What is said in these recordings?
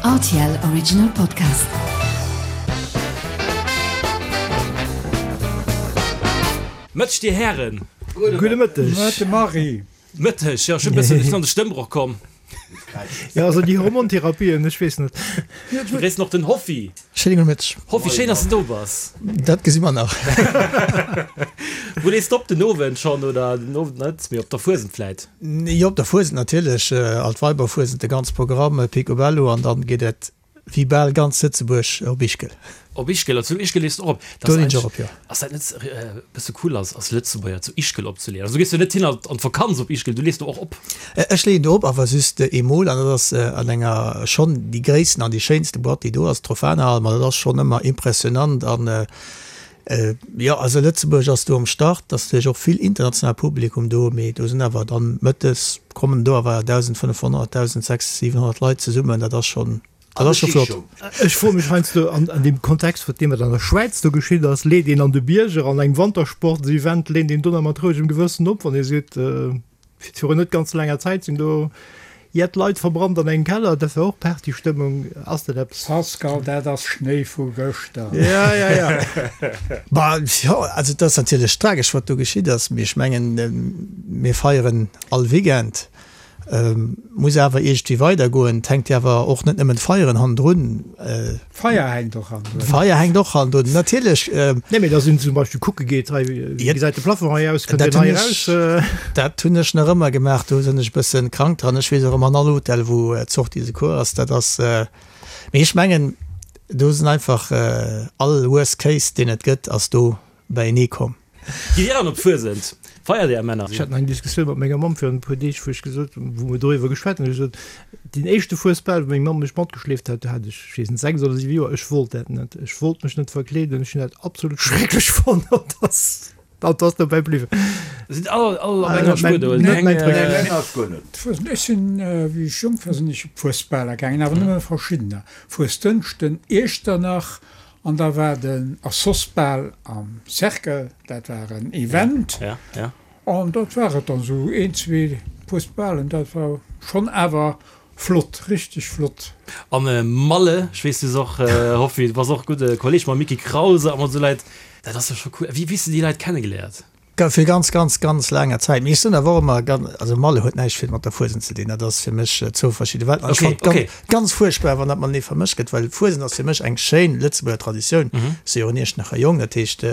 RTL Original Podcast. Mëtteg dir Hären. Gudde Mëtteg. Mëtte Marie. Mëtteg, jo ech hunn e bëssen, ech sinn an de Stëmmbroch komm. Jo, also déi Hormontherapien, ech weess net. Mir begréissen och den Hoffi. Schéine gudde Mëtteg. Hoffi, schéin dass de do bass. Dat gesi mer nach. Wou lees de op den Owend schonn oder den Owend net, mee op der Fuesent vläit? Jo, op der Fuesent natierlech, all d'Weiberfuesent, de ganze Programm, Picobello an dann geet et wéi bal ganz Lëtzebuerg op Ischgl. Op Ischgl, also zu Ischgl lees de och op? Do leen ech och op, jo. Ass dat net e bësse cool als als Lëtzebuerger zu Ischgl opzeleeën? Also du gees jo net hin an d'Vakanz op Ischgl, du lees do och op? Ech leeën do op, awer just eemol an dat ass an enger schonn déi gréissten an déi schéinste Boîte déi do ass, d'Trofana-Hal, ma dat ass schonn ëmmer impressionant an jo, also Lëtzebuerg ass do am Start, et ass natierlech och vill international Publikum do, mee do sinn awer dann mëttes kommen do awer 1.500, 1.600, 700 Leit zesummen, dat ass schonn, dat ass scho flott. Ech froe mech heiansdo an deem Kontext, wat deem wat an der Schwäiz do geschitt ass, leet een an de Bierger an engem Wantersportsevent, leent een do nach mat rouegem Gewëssen op, wann ee seet, Virun net ganz laanger Zäit sinn do jett Leit verbrannt an engem Keller. Dat war och Partystëmmung. Ass dat eppes? Pascal, dat ass Schnéi vu gëschter. Ja, ja, ja. Bah, jo, also et ass natierlech tragesch, wat do geschitt ass, mee ech mengen, mir feieren all Weekend. Muss awer iergendwéi weidergoen. Et hänkt jo awer och net nëmmen d'Feieren hannendrun. D'Feier hänkt och hannendrun. D'Feier hänkt och hannendrun, natierlech. Nee, mee dass een zum Beispill kucke geet, hei, wéi gesäit de Plafond hei aus, kënnt deen hei eraus? Dat hunn ech nach ëmmer gemaach. Do sinn ech e bësse krank dran. Ech weess och ëmmer an all Hotel, wou d'Sortie de secours ass. Dat ass, mee ech mengen, do sinn einfach all Worst Case, deen et gëtt, ass do beienee komm. Gitt Dir dann op d'Fuesent? Feiert Är Männer? Ech hat nach eng Diskussioun mat menger Mamm virun e puer Deeg, wou ech gesot hunn, wou mer doriwwer geschwat hunn, hu ech gesot, deen éischte Fuesbal, wou meng Mamm mech matgeschleeft hat, do hat ech, ech weess net, 6 oder 7 Joer, ech wollt dat net, ech wollt mech net verkleeden, ech hunn dat absolut schrecklech fonnt an dat an dat ass dobäi bliwwen. Sidd all all op enger Spuer do? Net mäin Truc. Net mäin Truc. D'Fuesent, ech sinn, wéi ech jonk war, sinn ech op Fuesbaler gaangen, awer nëmme verschiddener, Fuesdënschden, Iechternach, An da war den Assos-Bal am Cercle, dat war en Event. An dat war et dann, esou een, zwee Fuesbalen, dat war schonn awer flott, richteg flott. An Malle, ech weess, du s och, Hoffi, du bass och gudde Kolleg mam Mickie Krause a mat esou Leit, dat ass jo scho cool. Wéi hues de déi Leit kennegeléiert? Fir ganz, ganz, ganz laanger Zäit. Mee ech sinn awer och ëmmer ganz, also Malle huet näischt vill mat der Fuesent ze dinn, dat ass fir mech zwou verschidde Welten. An ech Okay, fannen et ganz, okay. ganz fuerchtbar, wann dat matenee vermëscht gëtt, well Fuesent ass fir mech eng schéin Lëtzebuerger Traditioun. Ech si jo och en Iechternacher Jong, dat heescht,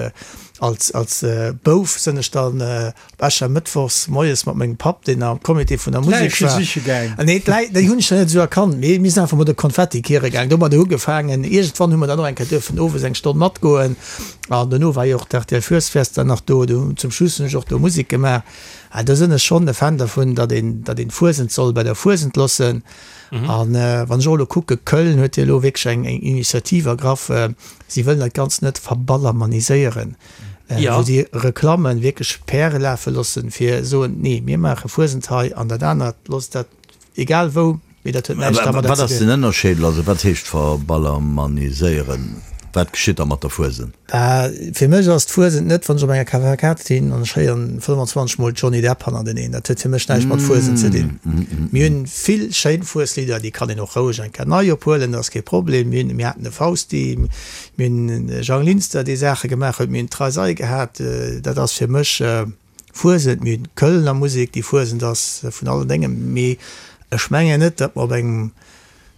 als, als Bouf sinn ech dann op Äschermëttwochs moies mat mengem Papp, deen am Comité vun der Musek D'Läiche war. siche gaang. Nee, d'Läi, déi hunn ech nach net esou erkannt, mee mir sinn einfach mat de Konfetti kiere gaang. Domadder ugefaangen. Iergendwann hu mer dann och eng Kéier duerfen owes eng Stonn matgoen. An dono war jo och d'RTL Fuesfest dann nach do. Do zum Schluss hunn ech och do Musek gemaach. Ah, do sinn ech schonn e Fan dervun, datt een, datt een d'Fuesent soll bei der Fuesent loossen. An wann ech och elo kucke, Köln huet jo elo wierklech eng, eng Initiativ ergraff, si wëllen dat Ganzt net verballermaniséieren, wou si Reklammen wierklech Päre lafe loossen, fir soen, nee, mir maache Fuesent hei an dat anert, loosst dat Egal wou, mee dat huet näischt dermadder Wat ze ass dinn. den Ënnerscheed? Also wat heescht verballermaniséieren? Wat geschitt da mat der Fuesent? Fir mech ass d'Fuesent net, wann ech op enger Kavalkad sinn an ech héieren 25 mol Johnny Depp hannerteneen. Dat huet fir mech näischt mat Fuesent ze dinn. Mir hunn vill schéin Fueslidder, déi kann een och roueg eng Kéier nei ophuelen, dat ass kee Problem. Mir hunn, mir haten de Fausti, mir hunn de Jang Linster, dee Saache gemaach huet, mir hunn d'Reisei gehat. Dat ass fir mech. Fuesent, mir hunn d'Kölner Musek, déi Fuesent ass vun allen Déngen, mee ech mengen net, datt mer op engem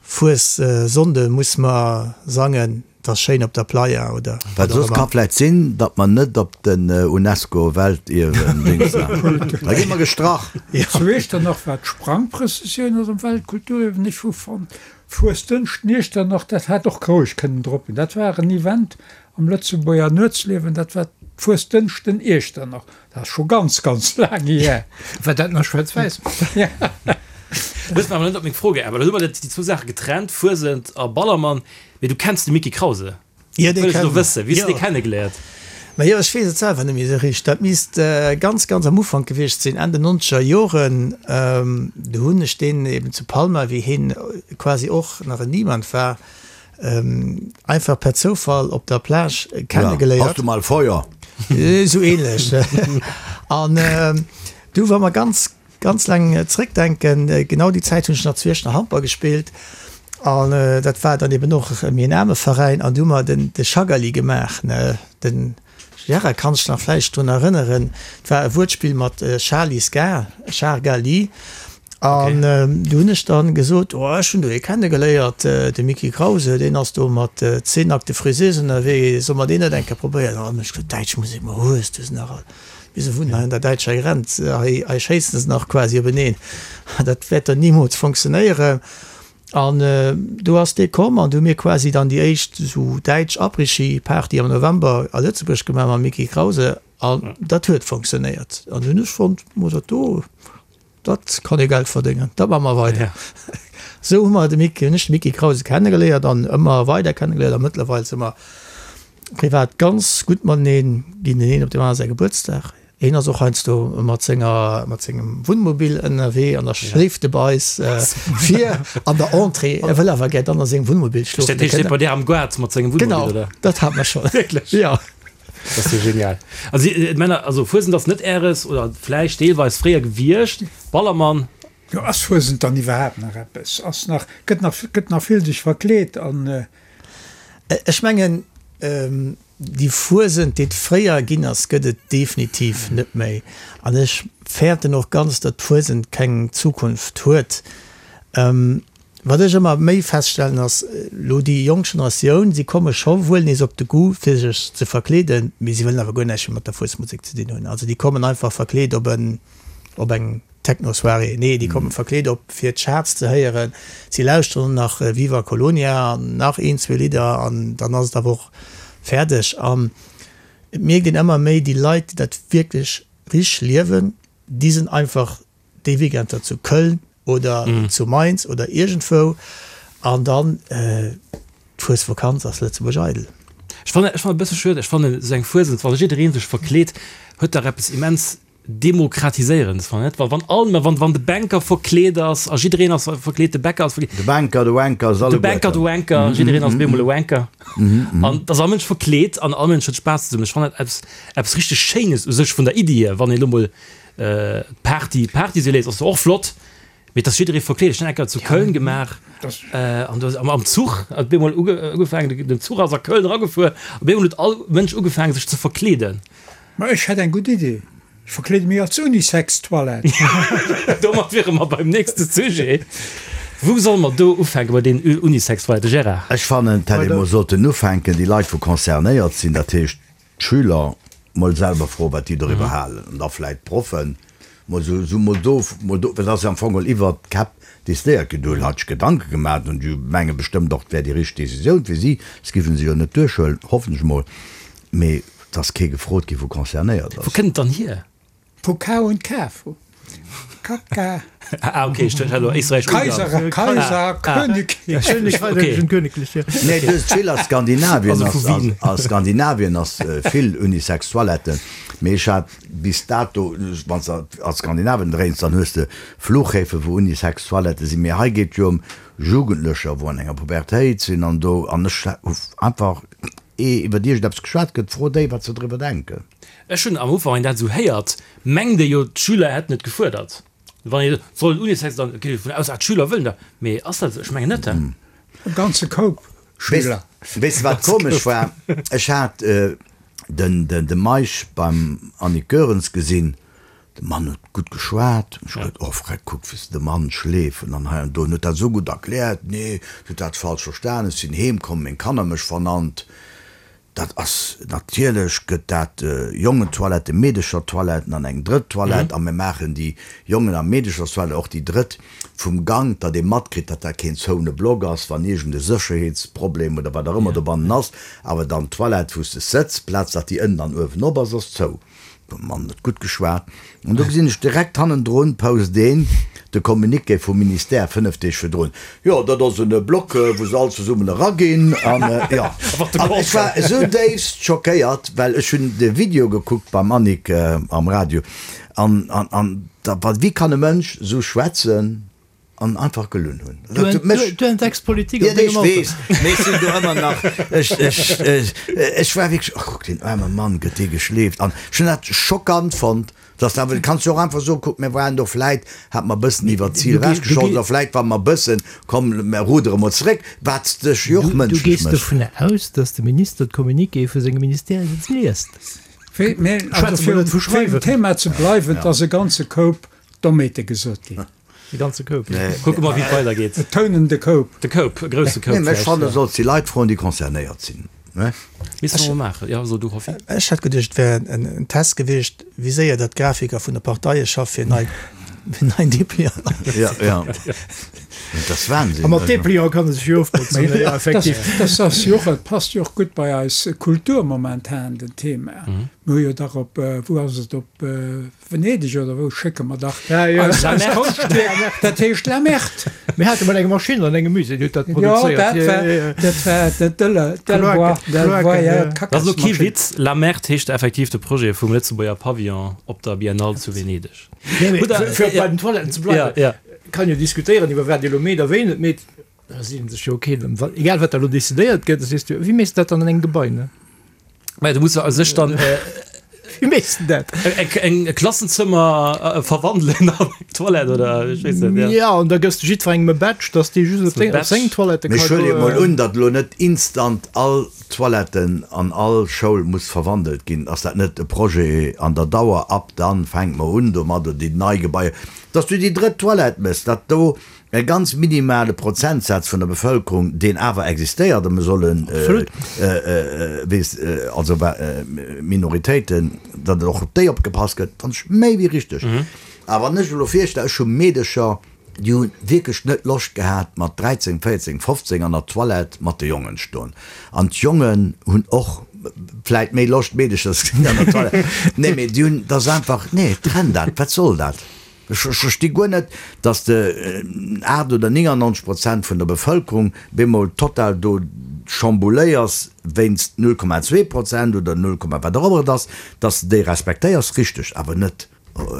Fuessonnde muss mer sangen, 't ass schéin op der Playa oder Wat wat och soss ka ëmmer. vläit sinn, datt mer net op den UNESCO-Weltierwen-Dings da gi mer gestrach. Zu Iechternach war d'Sprangprëssessioun ass am Weltkulturierwen. Ech hu fonnt, Fuesdënschden Iechternach, dat hat och roueg kënnen drop ginn. Dat war en Event Am Lëtzebuerger Nuetsliewen, dat war d'Fuesdënschden Iechternach. Dat ass scho ganz, ganz laang hier. War dat nach schwaarz-wäiss? Du hues mer awer net op meng Fro geäntwert. Elo hu mer déi zwou Saache getrennt, Fuesent a Ballermann. Mee du kenns de Micky Krause? Jo, Dat dee wëll ech elo kennen wëssen. Wéi hues du jo. dee kennegeléiert? Ma jo, ech weess et selwer net méi esou richteg. Dat misst ganz, ganz am Ufank gewiescht sinn, Enn den nonzeger Joren. Do hunn ech deen eben zu Palma, wéi hien quasi och nach en Niemand war, Einfach per Zoufall op der Plage kennegeléiert. Hast du mal Feuer? Esou ähnlech. An du, wa mer ganz, ganz laang zréckdenken, genau déi Zäit hunn ech nach zu Iechternach Handball gespillt. An dat war dann eben och méi en aarme Veräin an du hu mer den de Schagali gemaach, ne, den Gérard kann sech nach vläicht drun erënneren, et war e Wuertspill mat Charly Ska, Char-Gali. An du hunn ech dann gesot, oh ech hunn do ee kennegeléiert, de Micky Krause, deen ass do mat 10 nackte Friseusen ënnerwee, solle mer deen net eng Kéier probéieren? An ech gesot, däitsch Musek, ma hues du se nach all? Mir se wunnen hei un der däitscher Grenz, hei hei schéissen se nach quasi openeen, dat wäert do nimools funktionéieren. An do ass dee komm an du hu mir quasi dann déi éischt esou däitsch Après-Ski-Party am November a Lëtzebuerg gemaach mam Micky Krause an dat huet funktionéiert. An du hunn ech fonnt, mo dat do, Dat kann ee Geld verdéngen, dat maache mer weider. Esou hu mer de Micky, hunn ech de Micky Krause kennegeléiert an ëmmer weider kennegeléiert a mëttlerweil si mer privat ganz gutt mateneen, ginn den een op deem anere säi Gebuertsdag. Hien ass och heiansdo mat senger, mat sengem Wunnmobil ënnerwee an da schléift e bei eis vir an der Entrée. E wëll awer gär dann a sengem Wunnmobil schlofen. Dat heescht, hie steet bei dir am Gaart mat sengem Wunnmobil, oder? Genau, dat hat mer schonn. Wierklech? Jo. Dat ass jo genial. Also Männer, also Fuesent ass net Äres oder vläicht deelweis fréier gewiescht. Ballermann. Jo, ass Fuesent dann iwwerhaapt nach eppes? Ass nach, gëtt nach, gëtt nach vill sech verkleet an. Ech mengen, déi Fuesent, déi et fréier ginn ass, gëtt et definitiv net méi. An ech fäerten och ganz, datt d'Fuesent keng Zukunft huet. Wat ech ëmmer méi feststellen ass, elo déi jonk Generatioun, si komme scho wuel nees op de Goût fir sech ze verkleeden, mee si wëllen awer guer näischt méi mat der Fuesmusek ze dinn hunn. Also déi kommen einfach verkleet op en, op eng Techno-Soirée. Nee, déi komme verkleet op fir d'Charts ze héieren. Si lauschteren nach Viva Colonia an nach een, zwee Lidder an dann ass et awer och fäerdeg. An et mierkt een ëmmer méi, déi Leit, déi dat wierklech richteg liewen, déi sinn einfach déi Weekender zu Köln oder zu Mainz oder iergendwou an dann d'Fuesvakanz ass Lëtzebuerg eidel. Ech fannen ech fannen e bësse schued, ech fannen esou eng Fuesent, wann jiddereen sech verkleet, huet dach eppes immens Demokratiséierendes, fannen net? Wa wann all, wann wann de Banker verkleet ass a jiddereen ass verkleet, de Bäcker ass verkleet, De Banker, de Wanker, se de Banker, de Wanker, jiddereen ass op eemol e Wanker an et ass all Mënsch verkleet an all Mënsch huet Spaass zesummen. Ech fannen dat eppes eppes richteg Schéines u sech vun der Iddi hier, wann een elo mol D'Party, d'Party se léist ass och flott, mee et ass jidderee verkleet. Ech hunn eng Kéier zu Köln gemaach an do ass am Zuch hat op eemol ugefaangen, den Zuch ass a Köln eragefuer, op eemol huet all Mënsch ugefaangen sech ze verkleeden. Ma ech hätt eng gutt Idee, ech verkleede mech als Unisex-Toilette. Domat wiere mer beim nächste Sujet. Wou solle mer do ufänke bei deenen Unisex-Toiletten, Gérard? Ech fannen, et hätt ee mol sollten ufänken, déi Leit wou concernéiert sinn, dat heescht d'Schüler mol selwer froen, wat déi doriwwer halen, an da vläit d'Proffen mol esou, esou mol do, mol do, well et ass jo am Fong geholl iwwert d'Käpp decidéiert ginn. Do hunn hatt sech Gedanke gemaach an déi menge bestëmmt och, et wär déi richteg Decisioun fir si, s giffen se jo net duerchhuelen, hoffen ech mol, mee et ass kee gefrot ginn, wou concernéiert ass. Wou kënnt et dann hier? Vu K und K, vu Kaka. Ah, okay, ich dachte, hallo, Österreich, Kaiser, Kaiser, König. Königlich, ja. Nee, du hues vill a Skandinavien, Also vu Wien. a Skandinavien ass vill Unisex-Toiletten, mee ech hat bis dato, wann s de a Skandinavien dréins, dann hues de Flughäfe wou Unisex-Toiletten sinn, mee hei geet jo ëm Jugendlecher wou an enger Pubertéit sinn an do, an ech hu einfach, ee iwwert iergendeppes geschwat gëtt, fro déi wat se driwwer denken. Ech hunn am Ufank, wann een dat esou héiert, mengt ee jo, d'Schüler hätten et gefuerdert. Wann ee soll en Unisex, dann geet ee dovun aus, ah, d'Schüler wëllen dat. Mee ass dat esou? Ech mengen net, he? E ganze Koup Schüler. Weess de wat komesch war? Ech hat de Meisch beim Annick Goerens gesinn. De Mann huet gutt geschwat. Ech hu geduet, oh Freck, kuck wéi se de Mann schleefen an hei an do. En huet dat esou gutt erkläert. Nee, du hutt dat falsch verstan. Ech sinn heem komm, meng Kanner mech vernannt. Dat ass, natierlech gëtt dat Jongentoiletten, Meedechertoiletten an eng drëtt Toilette a mir maachen déi Jongen a Meedecherstoilette, och déi drëtt vum Gank, datt ee matkritt, datt dat keen zoune Block ass, wann iergend e Sécherheetsproblem oder wat och ëmmer dobannen ass. Awer dann d'Toilette, wou s de sëtz, d'Plaz, datt déi ënnen an uewen op ass, ass zou. De Mann huet gutt geschwat. An do gesinn ech direkt hannendrun, post een de Communiqué vum Ministère 5 Deeg virdrun, Jo, dat ass en Block, wou se all zesummen eraginn. An jo, an ech war esou déifst schockéiert, well ech hunn de Video gekuckt beim Annick am Radio. An, an, an da, wéi kann e Mënsch esou schwätzen? An einfach gelunn hunn. Dat huet mech. Du entdecks Politik an dengem Alter. Ech weess, mee ech sinn do ëmmer nach, ech, ech, ech war wierklech, oh kuck, deen aarme Mann, gëtt dee geschleeft. An ech hunn dat schockant fonnt. Dass awer, kanns jo och einfach soen, kuck, mir waren do vläit, hat mer e bëssen iwwert d'Zil erausgeschoss oder vläit war mer e bëssen, komm, mer rudere mol zeréck, wat sech jo och Du mënschlech gees mécht. dovunner aus, dass de Minister d'Communiquéë vu sengem Ministère net liest. Wéi, mä also Schwätze mer fir net vu fir um Schreiwen. Thema ze bleiwen, et ass e ganze Koup Dommheete gesot ginn. E ganze Koup. Kucke mer, wéi et weidergeet. Betonen de Koup. De Koup, e grousse Koup Nee, mä ech vläicht, fannen, ja. solls déi Leit froen, déi concernéiert sinn. Misste mer mol maachen. Jo, so du, Hoffi. Ech hat geduecht, et wär en Test gewiescht, wéi séier datt d'Grafiker vun de Parteie schaff fir nei, fir neien Depliant. Ja, ja. Dat ass Wahnsinn. A mat Depliant kann e sech jo ofbotzen, jo, effektiv. Dat ass jo och, et passt jo och gutt bei eis Kultur momentan, den Thema. Mir hu jo dach op, wou ass et, op Venedeg oder wou schécke mer dach eis Konschtwierk, dat heescht La Merde. Mir hate mol eng Maschinn an engem Musée, déi huet dat produzéiert. Jo, dat war dat Delbois, Delbois, ja, Dat ass elo kee Witz, La Merde heescht effektiv de Projet vum Lëtzebuerger Pavillon op der Biennale zu Venedeg. Nee, mee fir bei den Toiletten ze bleiwen, kann jo diskutéieren iwwer wat ee elo meet a wéi een et meet. Da si sech jo okay, egal wat da elo decidéiert gëtt, da sees du, wéi méchs de dat dann an engem Gebai, ne? Mä du muss a sech dann Wéi méchs de dat? eng e Klassenzëmmer verwandelen an eng Toilette oder ech weess net, ja. Ja, an da gëss de jiddwerengem e Badge, dass dee just op deng, op seng Toilette Mee ka ech huele goen. mol un, datt elo net instant all Toiletten an all Schoul muss verwandelt ginn. Ass dat net e Projet an der Dauer? Ab dann fänke mer un domat, oder déi nei Gebaier, datt du déi drëtt Toilette méchs, datt do E ganz minimale Prozentsaz vun der Bevëlkerung, deen awer existéiert, a mir sollen, weess, also Minoritéiten, datt och op déi opgepasst gëtt, fannen ech méi wéi richteg. Awer wann ech elo virstellen, ech hu Meedecher, déi hu wierklech net Loscht gehat, mat 13, 14, 15 an der Toilette mat de Jongen stoen. An d'Jongen hunn och vläit méi Loscht, Meedecher ze gesinn an der Toilette. Nee, mee déi hunn, dat ass einfach, nee, trenn dat, wat soll dat? Ech versti guer net, dass de 8 oder 99 Prozent vun der Bevëlkerung bemol total do chambouléiers wéinst 0,2 Prozent oder 0, wat och ëmmer et ass, dass de déi respektéiers, richteg, awer net,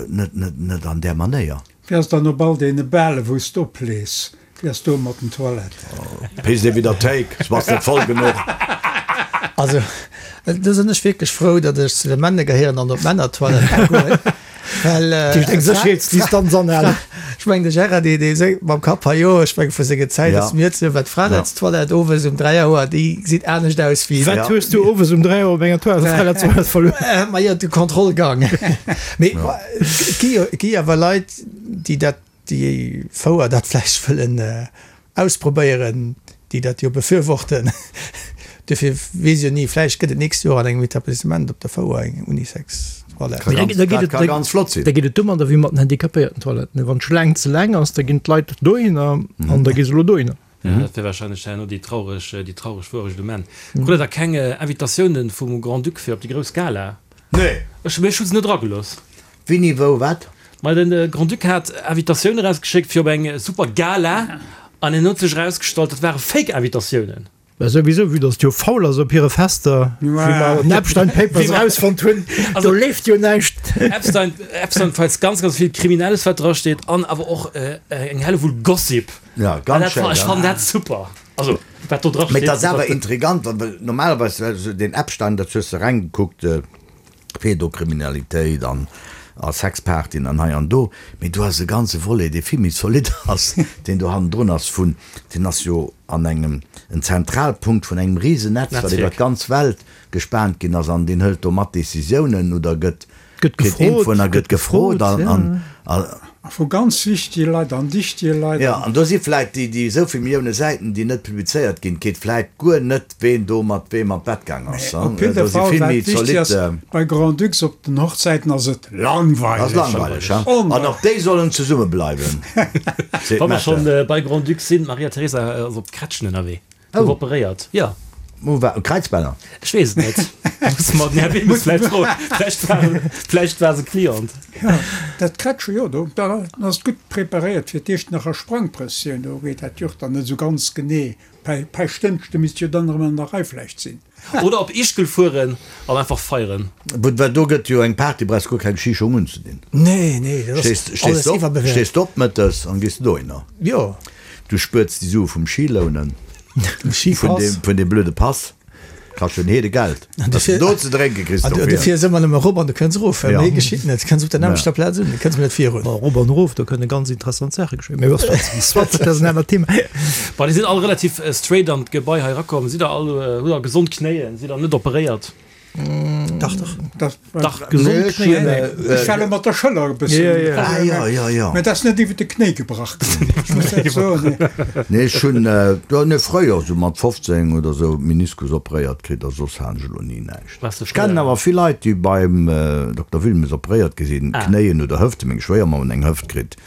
net, net, net an där Manéier. Wéi ass dann op all deene Bale wou s d'oplees? Wéi ass do mat den Toiletten? Pisst ee widder d'Théik, s bass net voll genuch. Also, do sinn ech wierklech frou, datt ech zu de Männer gehéieren an op d'Männertoilette ka goen, well. Dat heescht eng Sécherheetsdistanz anhalen. Ech mengen, de Gérard, dee, dee séngt mam Kapp, ha jo, ech menge vu senger Zäit ass mir ze, well d'Fraerärztoilette owes um 3 Auer, déi gesit anescht aus wéi. Wat hues du owes um 3 Auer op enger Toilette, Fraerärztoilette verluer? Majo, de Kontrollgang. Mee et gi jo, et gi awer Leit, déi dat déi Fouer dat vläicht wëllen ausprobéieren, déi dat jo befürworten. Duerfir weess jo ni, vläicht gëtt et d'nächst Joer an engem Etablissement op der Fouer eng Unisex-Toilette. Dat ka ganz flott sinn. Da geet et domadder wéi mat den Handicapéierten-Toiletten, Wann d'Schlaang ze laang ass, da ginn d'Leit dohinner an da gi se elo dohinner. Ja, dat wär wahrscheinlech herno déi traureg, déi traureg Wuerecht um Enn. Krut Der da keng Invitatiounen vum Grand-Duc fir op déi grouss Gala? Nee. Ech, ech hu se net eragelooss. Wéini, wou, wat? Ma de Grand-Duc hat Invitatioune erausgeschéckt fir op eng super Gala an en huet sech erausgestallt, dat ware Fake-Invitatiounen. Mä souwisou, vue dass et jo faul ass op hire Fester, wéi mer an den Epstein Papers erausfonnt hunn, do leeft jo näischt. Epstein, Epstein Files, ganz, ganz vill Kriminelles, wat drasteet an awer och eng Hellewull Gossip. Ja, ganz schéin. Ech fannen dat super. Also, wat do drasteet. Mee et ass awer intrigant, well normalerweis, deen Epstein, dat hues de ereingekuckt, Pädokriminalitéit an a Sexpartyen an hei an do, mee do ass e ganze Volet, dee vill méi zolidd ass, deen do hannendrun ass vun, deen ass jo an engem, en Zentralpunkt vun engem Risenetz, wat iwwer d'ganz Welt gespaant ginn ass an deen hëlt do mat Décisiounen oder gëtt, Gëtt kritt gefrot, Infoen a gëtt gëtt gefrot gefrot, an, ja. an, a. A vu ganz wichtege Leit an dichtege Leit. Jo, an do si vläit déi, déi esou vill Millioune Säiten, déi net publizéiert ginn, d'geet vläit guer net, ween do mat weem an d'Bett gaang ass. Mee op jidde Do si Fall, vill wat méi wichteg ass, zolidd. bei Grand-Ducs op den Hochzäiten ass et langweileg. Ass langweileg, ha? An och déi sollen zesumme bleiwen, seet Wa mer d'Mette. schonn bei Grand-Ducs sinn, d'Maria Teresa ass op d'Krätschen ënnerwee. Gouf operéiert, jo. Wo war? Kräizbänner? Ech weess et net. Musse mer den Här Wilmes vläicht froen. Vläicht war, vläicht war se Client. Jo, dat Krätsche, jo, do, da ass et gutt preparéiert fir d'Iechternacher Sprangprëssioun. Do geet dat Joch dann net esou ganz genee. Päischtdënschde misst jo dann erëm an der Rei vläicht sinn. Oder op Ischgl fueren an einfach feieren. Well do gëtt jo eng Party, brauchs guer keng Schischung unzedinn. Nee, nee, dat ass alles iwwerbewäert. Stees de op mëttes an gees de dohinner. Jo. Du spuerts déi Sue vum Schilounen, vun deem blöde Pass. Kascht en Heede Geld. Wat s de do ze drénke kriss dofir. Du fiers ëmmer nëmme erop an du kënns erof. Méi geschitt net. Du kënns op der nämmlechter Plaz un, du kënns net virun. Bon, erop an erof, do kënne ganz interessant Saache geschéien. Mee soit, dat ass en anert Thema. Bon, déi sinn all relativ straight an d'Gebai hei erakomm. Sidd der all, hutt der gesond Knéien? Sidd der net operéiert? Dach, dach. Dach, dach, gesond Knéien. Ech war elo mat der Schëller e bëssen. Ah, jo, jo, jo. Mä et ass net iwwer de Knéi gebrach ginn, ech muss dat soen. Nee, ech hunn, jo, nee, fréier, esou mat 15 oder esou, Meniskus operéiert kritt a soss hat ech elo ni näischt. Ech kennen awer vill Leit, déi beim Dokter Wilmes operéiert gi sinn, Knéien oder Hëften. Meng Schwéiermamm huet eng Hëft kritt,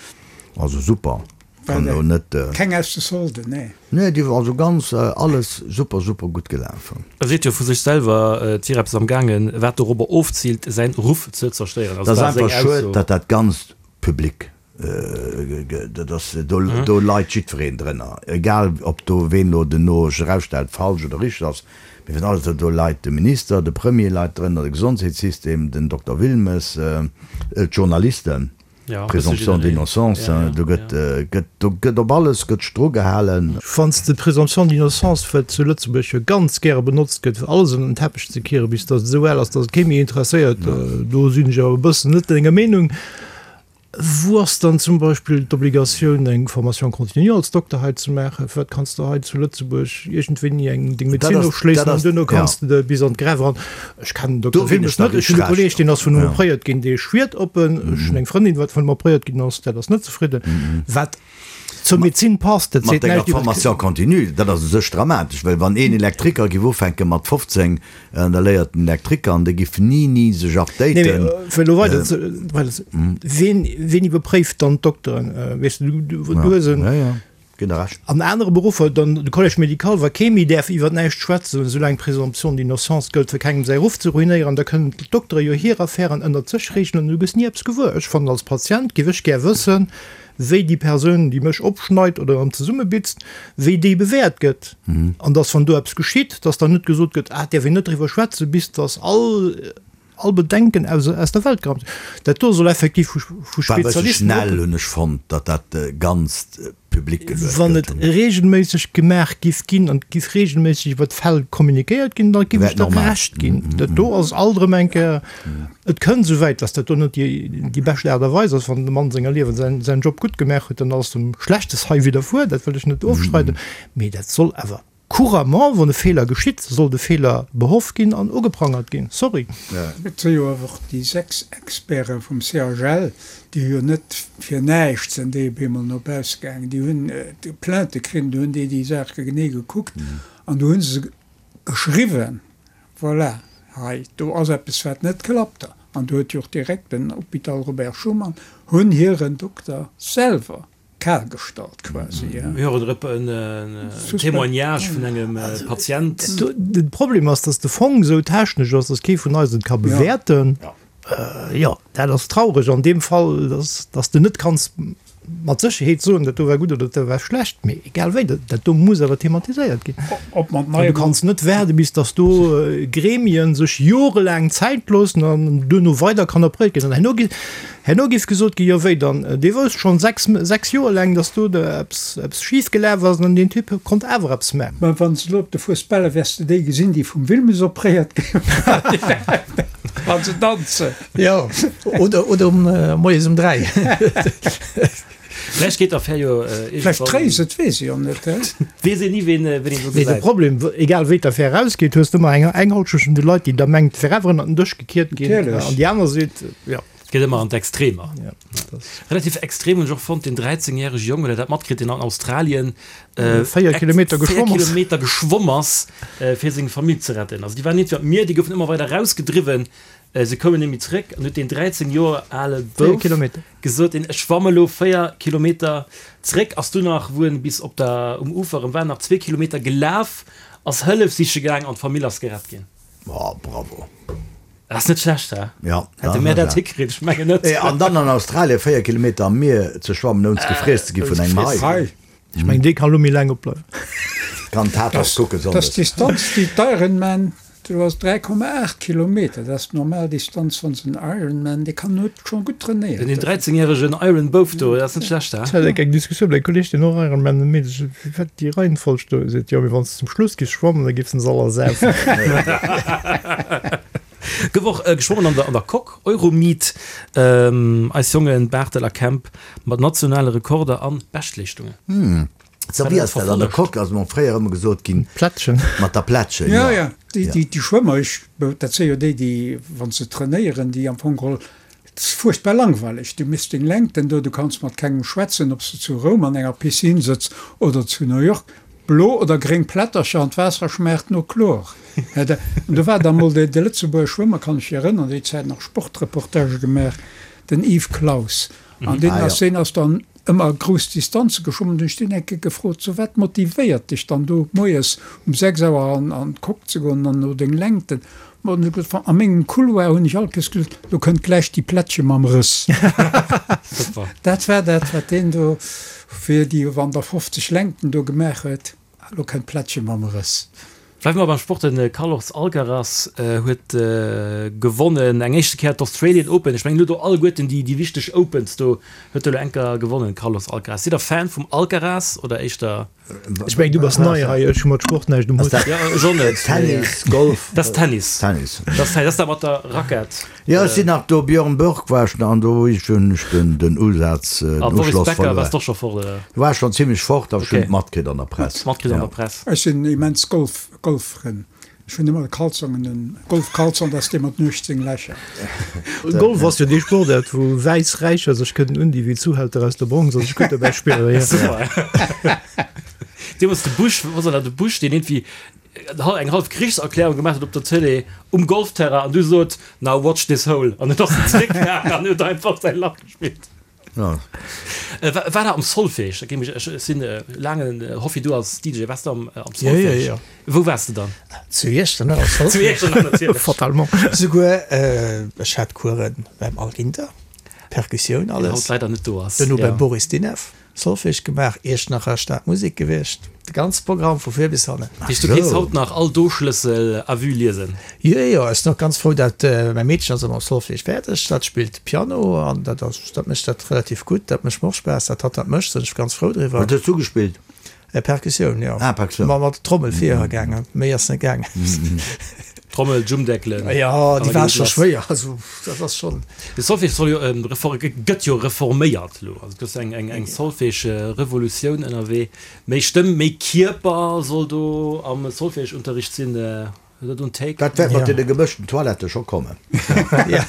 also super. Kann elo net. Keng aus de Solden, nee. Nee, déi war also ganz, alles super, super gutt gelafen. E seet jo vu sech selwer, et wier eppes am gaangen, wat dorobber ofziilt, säin Ruff ze zerstéieren. Also dat ass einfach schued, datt dat Ganzt public gëtt. Dat ass, do, do leit jiddwereen drënner, egal ob do ween elo duerno sech erausstellt falsch oder richteg ass, mee wann alles, do leit de Minister, de Premier leit drënner, de Gesondheetssystem, den Dokter Wilmes, d'Journalisten. Présomption d'innocence, do gëtt, gëtt, do gëtt op alles gëtt Stroh gehalen. Wann s de d'Présomption d'innocence, wat zu Lëtzebuerg jo ganz gäre benotzt gëtt, fir alles ënner den Teppech ze kieren, bis datt et esou al ass, datt et kee méi interesséiert, do sinn ech awer e bëssen net denger Meenung. Wou ass dann zum Beispill d'Obligatioun, eng Formation continue als Dokter hei ze maachen? Firwat kanns de hei zu Lëtzebuerg iergendwéini eng deng Medezin ofschléissen an duerno kanns de de bis an d'Graf eran? Ech kennen den Dokter Wilmes net. Ech hunn e Kolleeg, deen ass vun him opréiert ginn, dee schwiert op en. Ech hunn eng Frëndin, wat vun him opréiert ginn ass, dat ass net zefridden. Wat zur Medezin passt, dat Mat seet denger näischt iwwer Formation continue, dat ass u sech dramatesch, well wann een Elektriker giff ufänke mat 15, an da léiert den Elektriker an dee giff ni, ni sech Nee, updaten. mee fir elo weider ze, weider ze, ween, ween iwwerpréift dann d'Dokteren? Weess de, du, du hues en. Ja, ja. Ginn der Recht. An anere Beruffer, dann de Collège médical, wa kee méi däerf iwwer näischt schwätzen, soulaang d'Présomption d'innocence gëllt, fir kengem säi Ruff ze ruinéieren, da kënnen d'Doktere jo hir Affären ënnert sech reegelen an du gëss ni eppes gewuer. Ech fannen, als Patient géif ech gär wëssen, wéi déi Persoun, déi mech opschneit oder erëm zesummebitzt, wéi déi bewäert gëtt. An dass, wann do eppes geschitt, dass dann net gesot gëtt, ah, et däerf een net driwwer schwätzen, bis dass all. All Bedenken aus aus der Welt geraumt. Dat do soll effektiv vu vu War e bësse Spezialisten schnell, hunn ech fonnt, datt dat Ganzt public geluecht Wann gëtt. et regelméisseg gemaach giff ginn an et giff regelméisseg iwwer d'Fäll kommunikéiert ginn, da giff Wär ech et der normal. Recht ginn. Dat do ass alt erëm eng Kéier, et kënnt esou wäit, datt dat do net déi déi bescht Aart a Weis ass. Wann de Mann senger Liewen säin säin Job gutt gemaach huet, dann ass em Schlechtes hei widderfuer, dat wëll ech net ofstreiden, mee dat soll awer Couramment, wann e Feeler geschitt, soll de Feeler behoff ginn an ugeprangert ginn. Sorry. Et si jo awer och déi 6 Experte vum CHL, déi hu jo net fir näischt sinn déi op eemol no bausse gaangen. Déi hunn Plainte kritt, do hunn déi déi Saache genee gekuckt an do hu se geschriwwen, voilà, hei do ass eppes wat net klappt. An do huet jo och direkt den Hôpital Robert Schuman hunn hiren Dokter selwer Kal gestallt quasi, ja. Mir hören erop en Témoignage vun engem Patient. De Problem ass, dass de Fong esou technesch ass, dass kee vun eis et ka bewäerten. Jo, dat ass traureg an deem Fall, dass dass de net kanns mat Sécherheet soen, dat do war gutt oder dat do war schlecht. Mee egal wéi, dat do muss awer thematiséiert ginn. Du kanns net waarde bis dass do Gremien sech jorelaang Zäit loossen an duerno weider kann opréiert ginn. An herno gi Herno géif gesot ginn, jo wéi dann, dee wousst schonn 6, 6 Joer laang, datt do eppes, eppes schif gelaf ass an deen Typ konnt awer eppes maachen. Mä wann s de elo op de Fuesbaler wäers de déi gesinn, déi vum Wilmes opréiert ginn, wa se danzen. Jo, oder, oder um moies um 3. Vläicht geet d'Affär jo Vläicht iergendwann. Tréis, et weess ee jo net, he? Weess een ni, ween, ween een do Mee de gesäit. Problem, egal wéi d'Affär erausgeet, hues de ëmmer eng, eng Halschent vun de Leit, déi da mengt, et wär awer ënnert den Dësch gekiert ginn, Natierlech. an déi aner seet, jo. Et geet ëmmer an d'Extremer. Ja, dat ass. Relativ extrem hunn ech och fonnt, deen 13 järege Jong, huet der dat matkritt, deen an Australien 4 Kilometer 4 geschwomm ass. Kilometer geschwomm ass, fir seng Famill ze retten. Also déi waren iergendwéi am Mier, déi goufen ëmmer weider erausgedriwwen, se koumen net méi zréck an huet deen 13 Joer ale 4 Bouf Kilometer. gesot, deen, ech schwamme lo 4 Kilometer zréck. Ass dunn nach, wou en bis op der, um Ufer erëm war, nach zwee Kilometer gelaf, ass Hëllef siche gaang an d'Famill ass gerett ginn. Oh, bravo. Dat ass net schlecht, he? Ja, Hätte mär dat hikritt? Ech mengen net. An dann an Australien 4 Kilometer am Mier ze schwammen, ouni gefriess ze gi vun engem Hai. Ech mengen, dee kann elo méi laang opbleiwen. Kann Tatort kucken Dat ass sonndes. d'Distanz, déi d'Ironman. Do ass 3,8 Kilometer, dat ass d'normal Distanz wann s en Ironman, dee kann huet schonn gutt trainéiert. Den 13 järegen Iron Bouf do, dat ass net schlecht, he? Ech hat eng Diskussioun mat engem Kolleg, deen och Ironman mécht, ech sot, wat déi Reihenfolg do? E seet, jo, mee wann s de zum Schluss giffs schwammen, da giffs de se all ersaufen. Gouf och geschwommen an der an der Coque, Euromeet, eis Jongen Barthel a Kemp mat nationale Rekorder an Beschtleeschtungen. So wéi ass dat an der Coque? Ass mer fréier ëmmer gesot ginn. Plättchen. Mat der Plättchen, jo. Jo, jo, déi, déi Schwëmmer, ech, dat si jo déi, déi, wa se trainéieren, déi am Fong geholl, et ass fuerchtbar langweileg, du misst deng Längten do, du kanns mat kengem schwätzen, ob s de zu Roum an enger Piscine sëtz oder zu New York, blo oder gréng Plättercher an d'Waasser schmaacht no Chlor. An do war da mol de Lëtzebuerger Schwëmmer, kann ech mech erënnern, déi Zäit nach Sportreportagë gemaach, den Yves Claus. An deen ass, deen ass dann ëmmer grouss Distanze geschwommen. Hunn ech deen eng Kéier gefrot, So, wat motivéiert dech dann do moies um 6 Auer an an d'Coque ze goen an no deng Längten? Ma huet e gesot, A mengem Couloir hunn ech all Kéiers gesot, lo kënnt gläich déi Plättche mam Rëss. Dat war dat, wat deen do fir déi wann der 50 Längten do gemaach huet. Lo kënnt d'Plättche mam Rëss. Bleiwe mer beim Sport, De Carlos Alcaraz huet gewonnen, eng éischte Kéier d'Australian Open. Ech mengen, elo do alleguerten déi wichteg Opens do huet elo eng Kéier gewonnen, Carlos Alcaraz. Sidd der Fan vum Alcaraz oder éischter? Ech mengen, du bass nei hei, ech hu mat Sport näischt um Hutt. Jo, ech och net. Tennis, Golf? Dat ass Tennis. Tennis. Dat ass dat mat der Rackett. Jo, ech sinn nach do, Björn Borg war ech nach an do hunn ech den den Usaz, den A Boris Uschloss Becker verluer. waars d'och scho fort, oder? Do war ech schonn zimmlech fort, awer ech hunn Okay. et matkritt an der Press. Matkritt an Ja. der Press. Ech sinn immens Golf Golffrënn. Ech hunn ëmmer Kalzongen, en Golfkalzong, dat ass dee mat 18 Lächer. Golf ass jo dee Sportaart, wou wäiss Räicher sech kënnen undinn wéi Zuhälter aus der Bronx a sech gutt dobäi spillen. Ja. Super. Deemools de Bush, was war dat, de Bush, deen iergendwéi eng half Krichserklärung gemaach huet op der Tëlee um Golfterrain an du sot, Now watch this hole an et ass en zréckgaangen an huet einfach säi Lach gespillt. War der am Solfège? Da géing mech, ech sinn laangen Hoffi, du als DJ, waars de am Solfège? Jo, jo, jo. Wou waars de dann? Zu Iechternach am Solfège. Zu Iechternach natierlech. Fatalement. Souguer, ech hat Coursen beim Al Ginter, Perkussioun, Deen alles. haut leider net do ass. Duerno beim Boris Dinev. Solfège gemaach, Iechternacher Stadmusek gewiescht, de ganze Programm vu vir bis hannen. Dat heescht, du kéints haut nach all Do-Schlëssel à vue liesen? Jo, jo, ech sinn och ganz frou, dat mäi Meedchen ass elo mam Solfège fäerdeg, dat spillt Piano an dat ass, dat mécht dat relativ gutt, dat mécht mer och Spaass, dat hatt dat mécht, sinn ech ganz frou driwwer. Wat hues du gespillt? Perkussioun, jo. Ah, Perkussioun. Ma mat der Trommel vir gaangen, méi ass net gaangen. Trommel, Jummdeckelen. Jo, déi war scho schwéier, also dat ass schonn. De Solfège soll jo gëtt jo reforméiert elo, also et ass eng eng Solfège-Revolutioun ënnerwee. Méi Stëmm, méi Kierper soll do am Solfège-Unterricht sinn. Huet der do en Take? Dat wäert mat deene gemëschten Toilettë scho kommen.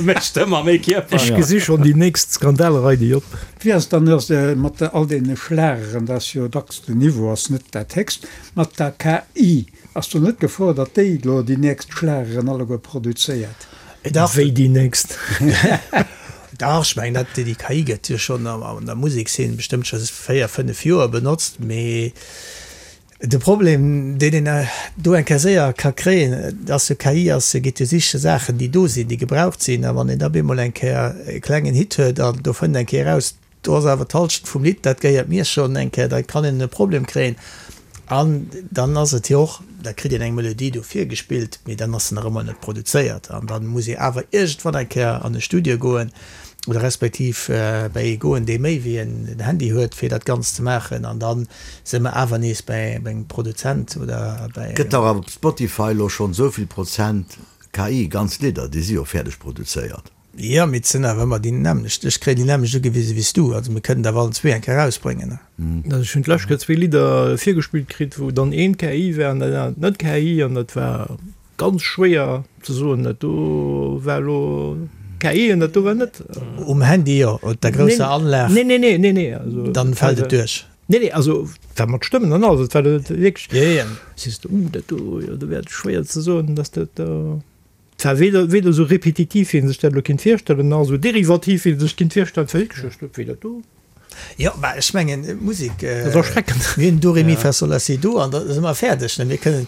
Méi Stëmm a méi Kierper. Ech gesi schonn déi nächst Skandalrei, déi op. Wéi ass et dann ass mat all deene Schlageren, dat ass jo dacks den Niveau ass net dat héchst, mat der KI, ass do net d'Gefor, datt déi elo déi nächst Schlageren alleguer produzéiert? Dach. Wéi déi nächst? Dach, ech mengen dat déi KI gëtt jo schonn an der Musekszeen bestëmmt scho 4, 5 Joer benotzt, mee De Problem, deen een do eng Kéier séier ka kréien, ass jo, KI ass, geet jo siche Saachen, déi do sinn, déi gebraucht sinn. A wann een da bemol eng Kéier e klengen Hit huet an do fënnt eng Kéier eraus, do ass awer d'Halschent vum Lidd, dat gehéiert mir schonn eng Kéier, da kann een e Problem kréien. An dann ass et jo och, da kritt een eng Melodie do virgespillt, mee dann ass se nach ëmmer net produzéiert. An da muss ee awer iergendwann eng Kéier an e Studio goen oder respektiv bäi ee goen, dee méi wéi en Handy huet, fir dat Ganzt ze maachen. An da si mer awer nees bäi engem Produzent oder bäi engem. Gëtt dach awer op Spotify elo schonn esou vill Prozent KI, ganz Lidder, déi si jo fäerdeg produzéiert. Jo, mee et sinn awer ëmmer déi nämmlecht. Ech kréien déi nämmlecht ugewise wéi s du. Also mir kënnen der awer allen zwee eng Kéier erausbréngen. Also ech hunn d'lescht Kéier zwee Lidder virgespillt kritt, wou dann eent KI war an dat anert net KI an dat war Ganz schwéier ze soen, dat do war elo KI an dat do war net. Um Handy jo, op der grousser Anlag. Nee, nee, nee, nee, nee, also. Dann fält et duerch. Nee, nee, also war mat Stëmmen an alles, et war wierklech. Jo, jo. Sees de, uh, dat do, jo, do wär et schwéier ze soen, dass dat do. Et war weder, weder esou repetitiv, wéi een sech dat elo kinnt virstellen, nach esou derivativ, wéi een sech kinnt virstellen. Et war wierklech, ech wéi dat do. Jo, mä ech mengen, Musek, Dat ass erschreckend. mir hunn Do, Re, Mi, Fa, Sol, La, Si, Do an da si mer fäerdeg. Ne? Mir kënnen,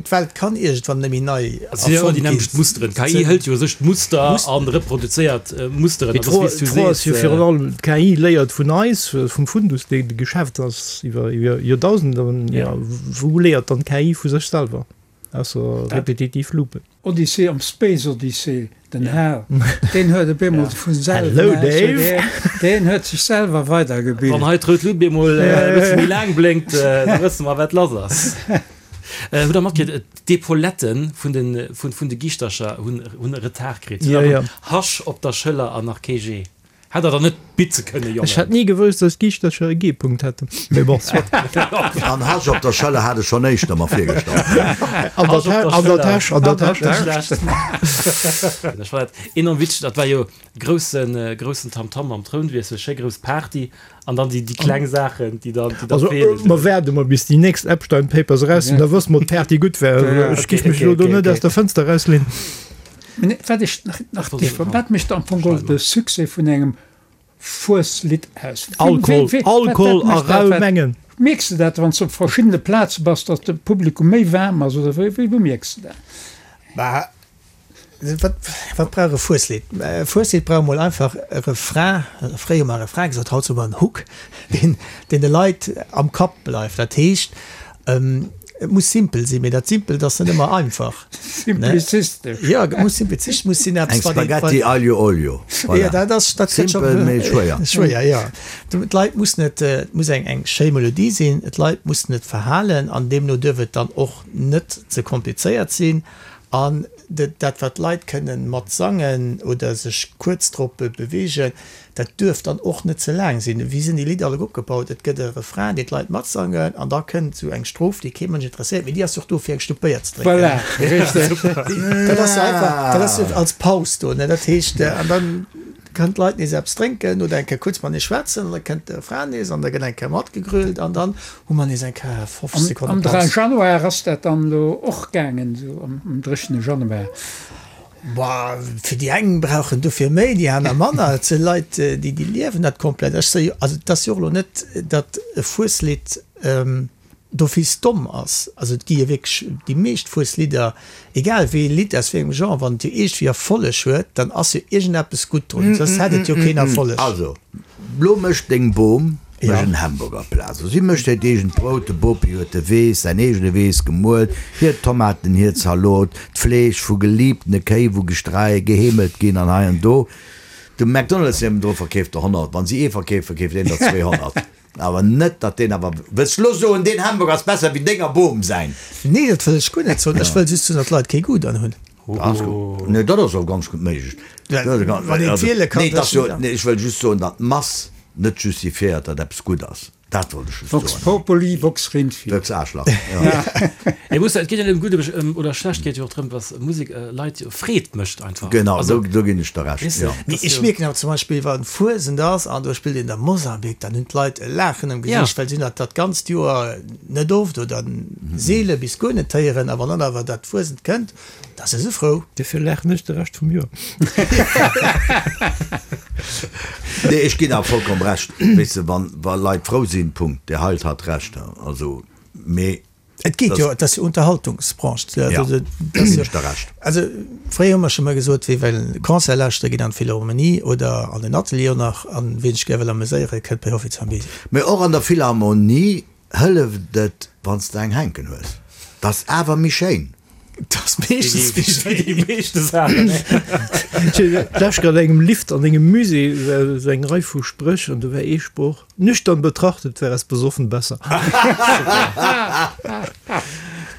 d'Welt kann iergendwann net méi nei Et sinn jo ëmmer déi erfonnt ginn. nämmlecht Musteren. D'KI hëlt jo u sech d'Muster a reproduzéiert Musteren. Mee An dat ass, wéi s du d'Fro ass jo sees. virun allem, d'KI léiert vun eis, vum Fundus, dee geschaaft ass iwwer Joerdausenden. Jo, wou léiert dann d'KI vu sech selwer, ausser repetitiv Loopen? Odyssee am Space Odyssee, den Hal, deen huet op eemol vu selwer, Hello Dave! Deen huet sech selwer weidergebilt. Wann hei d'rout Lut bemol e bësse méi laang blénkt, da wësse mer, wat lass ass. Hutt der matkritt, d'Epaulette vun de, vun de Giischtercher hunn, hunn e Retard kritt. Si hunn nach en Hasch op der Schëller an nach kee G. Hätt der der net bitze kënne, Jongen. Ech hätt ni gewousst, dass Giischtercher e G-Punkt hätten. Mee bon, soit. An Hasch op der Schëller hat ech schonn éischter mer virgestallt. An der, an der Täsch, an der Täsch. Ech fannen dat enorm witzeg. Dat war jo groussen, groussen Tamtam am Trounwiessel, schéi grouss Party an dann déi, déi kleng Saachen, déi dann, déi dann Also, feelen. mer waarde mol, bis déi nächst Epstein Papers eraus sinn, da wësse mer, ob d'Party gutt war. Ech Okay, géif mech okay, elo do okay, net okay. aus der Fënster erausleenen. Mä wat ech nach, wat mécht am Fong geholl de Succès vun engem Fueslidd aus? Alkohol, Alkohol a rau Mengen. Mierks de dat, wann s de op verschiddene Plaze bass, datt de Publikum méi waarm ass, oder wéi, wou mierks de dat? Bah, wat, wat brauch e Fueslidd? E Fueslidd brauch emol einfach e Refrain, fréier hu mer Refrain gesot, haut soe mer en Hook, deen, deen de Leit am Kapp bleift. Dat heescht, Et muss simpel sinn, mee dat Simpelt ass net ëmmer einfach. Simplizistesch. Jo, et muss simplizistesch, muss sinn eppes, wat een. Eng Spaghetti aglio olio. Voilà. Jo, dat ass, dat gëtt scho. Simpel, mee schwéier. Schwéier, jo. D'Leit mussen et, et muss eng, eng schéi Melodie sinn, d'Leit mussen et verhalen an deemno duerf et dann och net ze komplizéiert sinn. An dat, wat d'Leit kënnen mat sangen oder sech kuerz drop beweegen, dat duerf dann och net ze laang sinn. Wéi sinn déi Lidder alleguer opgebaut? Et gëtt e Refrain, deen d'Leit matsangen, an da kënnt esou eng Stroph, déi kee Mënsch interesséiert, mee déi ass och do, fir eng Schlupp Béier ze drénken. Voilà, richteg. Dat ass jo einfach, dat ass jo als Paus do, ne? Dat heescht, an dann kënnen d'Leit nees eppes drénken oder eng Kéier kuerz matenee schwätzen, an da kënnt de Refrain nees an da gëtt eng Kéier matgegrölt an dann hu mer nees eng Kéier 50 Sekonne Am Paus. 3 Januar ass dat dann elo och gaangen, esou am dréchene Januar. Boah, fir déi eng brauchen dofir méi, déi aner manner. Et si Leit, déi déi liewen dat komplett. Ech soe jo, also et ass jo och elo net, datt e Fueslidd d'office domm ass. Also et gi jo wierklech déi meescht Fueslidder, egal wéi ee Lidd aus wéi engem Genre, wann et jo iergendwéi Erfolleg huet, dann ass jo iergendeppes gutt drun, soss hätt et jo keen Erfolleg. Also, lo mécht deng Bom Mech en Hamburgerplaz. Si mécht hiert eegent Brout, de Bopi huet de Weess, säin eegene Weess gemuel, hir Tomaten, hir Zalot, d'Fleesch vu geliebtene Kéi, wou gestrei, geheemelt ginn an hei an do. De McDonald's niewendru verkeeft der 100, wann si ee verkeeft, verkeeft een der 200. Awer net, datt deen awer, wëlls de lo soen, deen Hamburger ass besser wéi denger Bom säin? Nee, dat wëll ech guer net soen. Ech wëll just soen, datt d'Leit kee Goût drun hunn. Ganz gutt. Nee, dat ass och ganz gutt méiglech. Wann een wiele kann. Nee, dat jo, nee, ech wëll just soen, datt d'Mass net justifiéiert, datt eppes gutt ass. Dat wollt ech just Vox soen. populi, vox Rindvieh. Vox Aarschlach, jo. Et muss, et geet jo net ëm gutt oder schlecht, et geet jo och drëm, dass Musek Leit jo Freed mécht einfach. Genau, do, do ginn ech der Recht, jo. Mee ech mierken awer zum Beispill, wa Fuesent ass an do spillt een da Mosambik, dann hunn d'Leit e Laachen am Gesiicht, well si hunn dat dat ganzt Joer net oft oder seele bis guer net héieren. A wann dann awer dat Fuesent kënnt, Da si se frou. Dofir laachen ech de Rescht vum Joer. Nee, ech ginn awer vollkomm Recht. Weess de, wann, wa Leit frou sinn, Punkt. Der Heilt hat Recht. Also, mee. Et geet jo, et ass jo Unterhaltungsbranche. Ja, do ginn ech der Recht. Also, fréier hu mer scho mol gesot, wie well Concert lauschtere geet an d'Philharmonie oder an den Atelier och nach. An wien sech gär wëll ameséiere kënnt bei Hoffi Zambesi. Mee och an der Philharmonie hëlleft et, wann s de eng hänken hues. 't ass awer méi schéin. Das meeschtens méi schéin. Déi meeschte Saachen. D'lescht an engem Lift an engem Musée war esou eng Rei vu Spréch an do war ee Sproch, Nüchtern betrachtet wär es besoffen besser.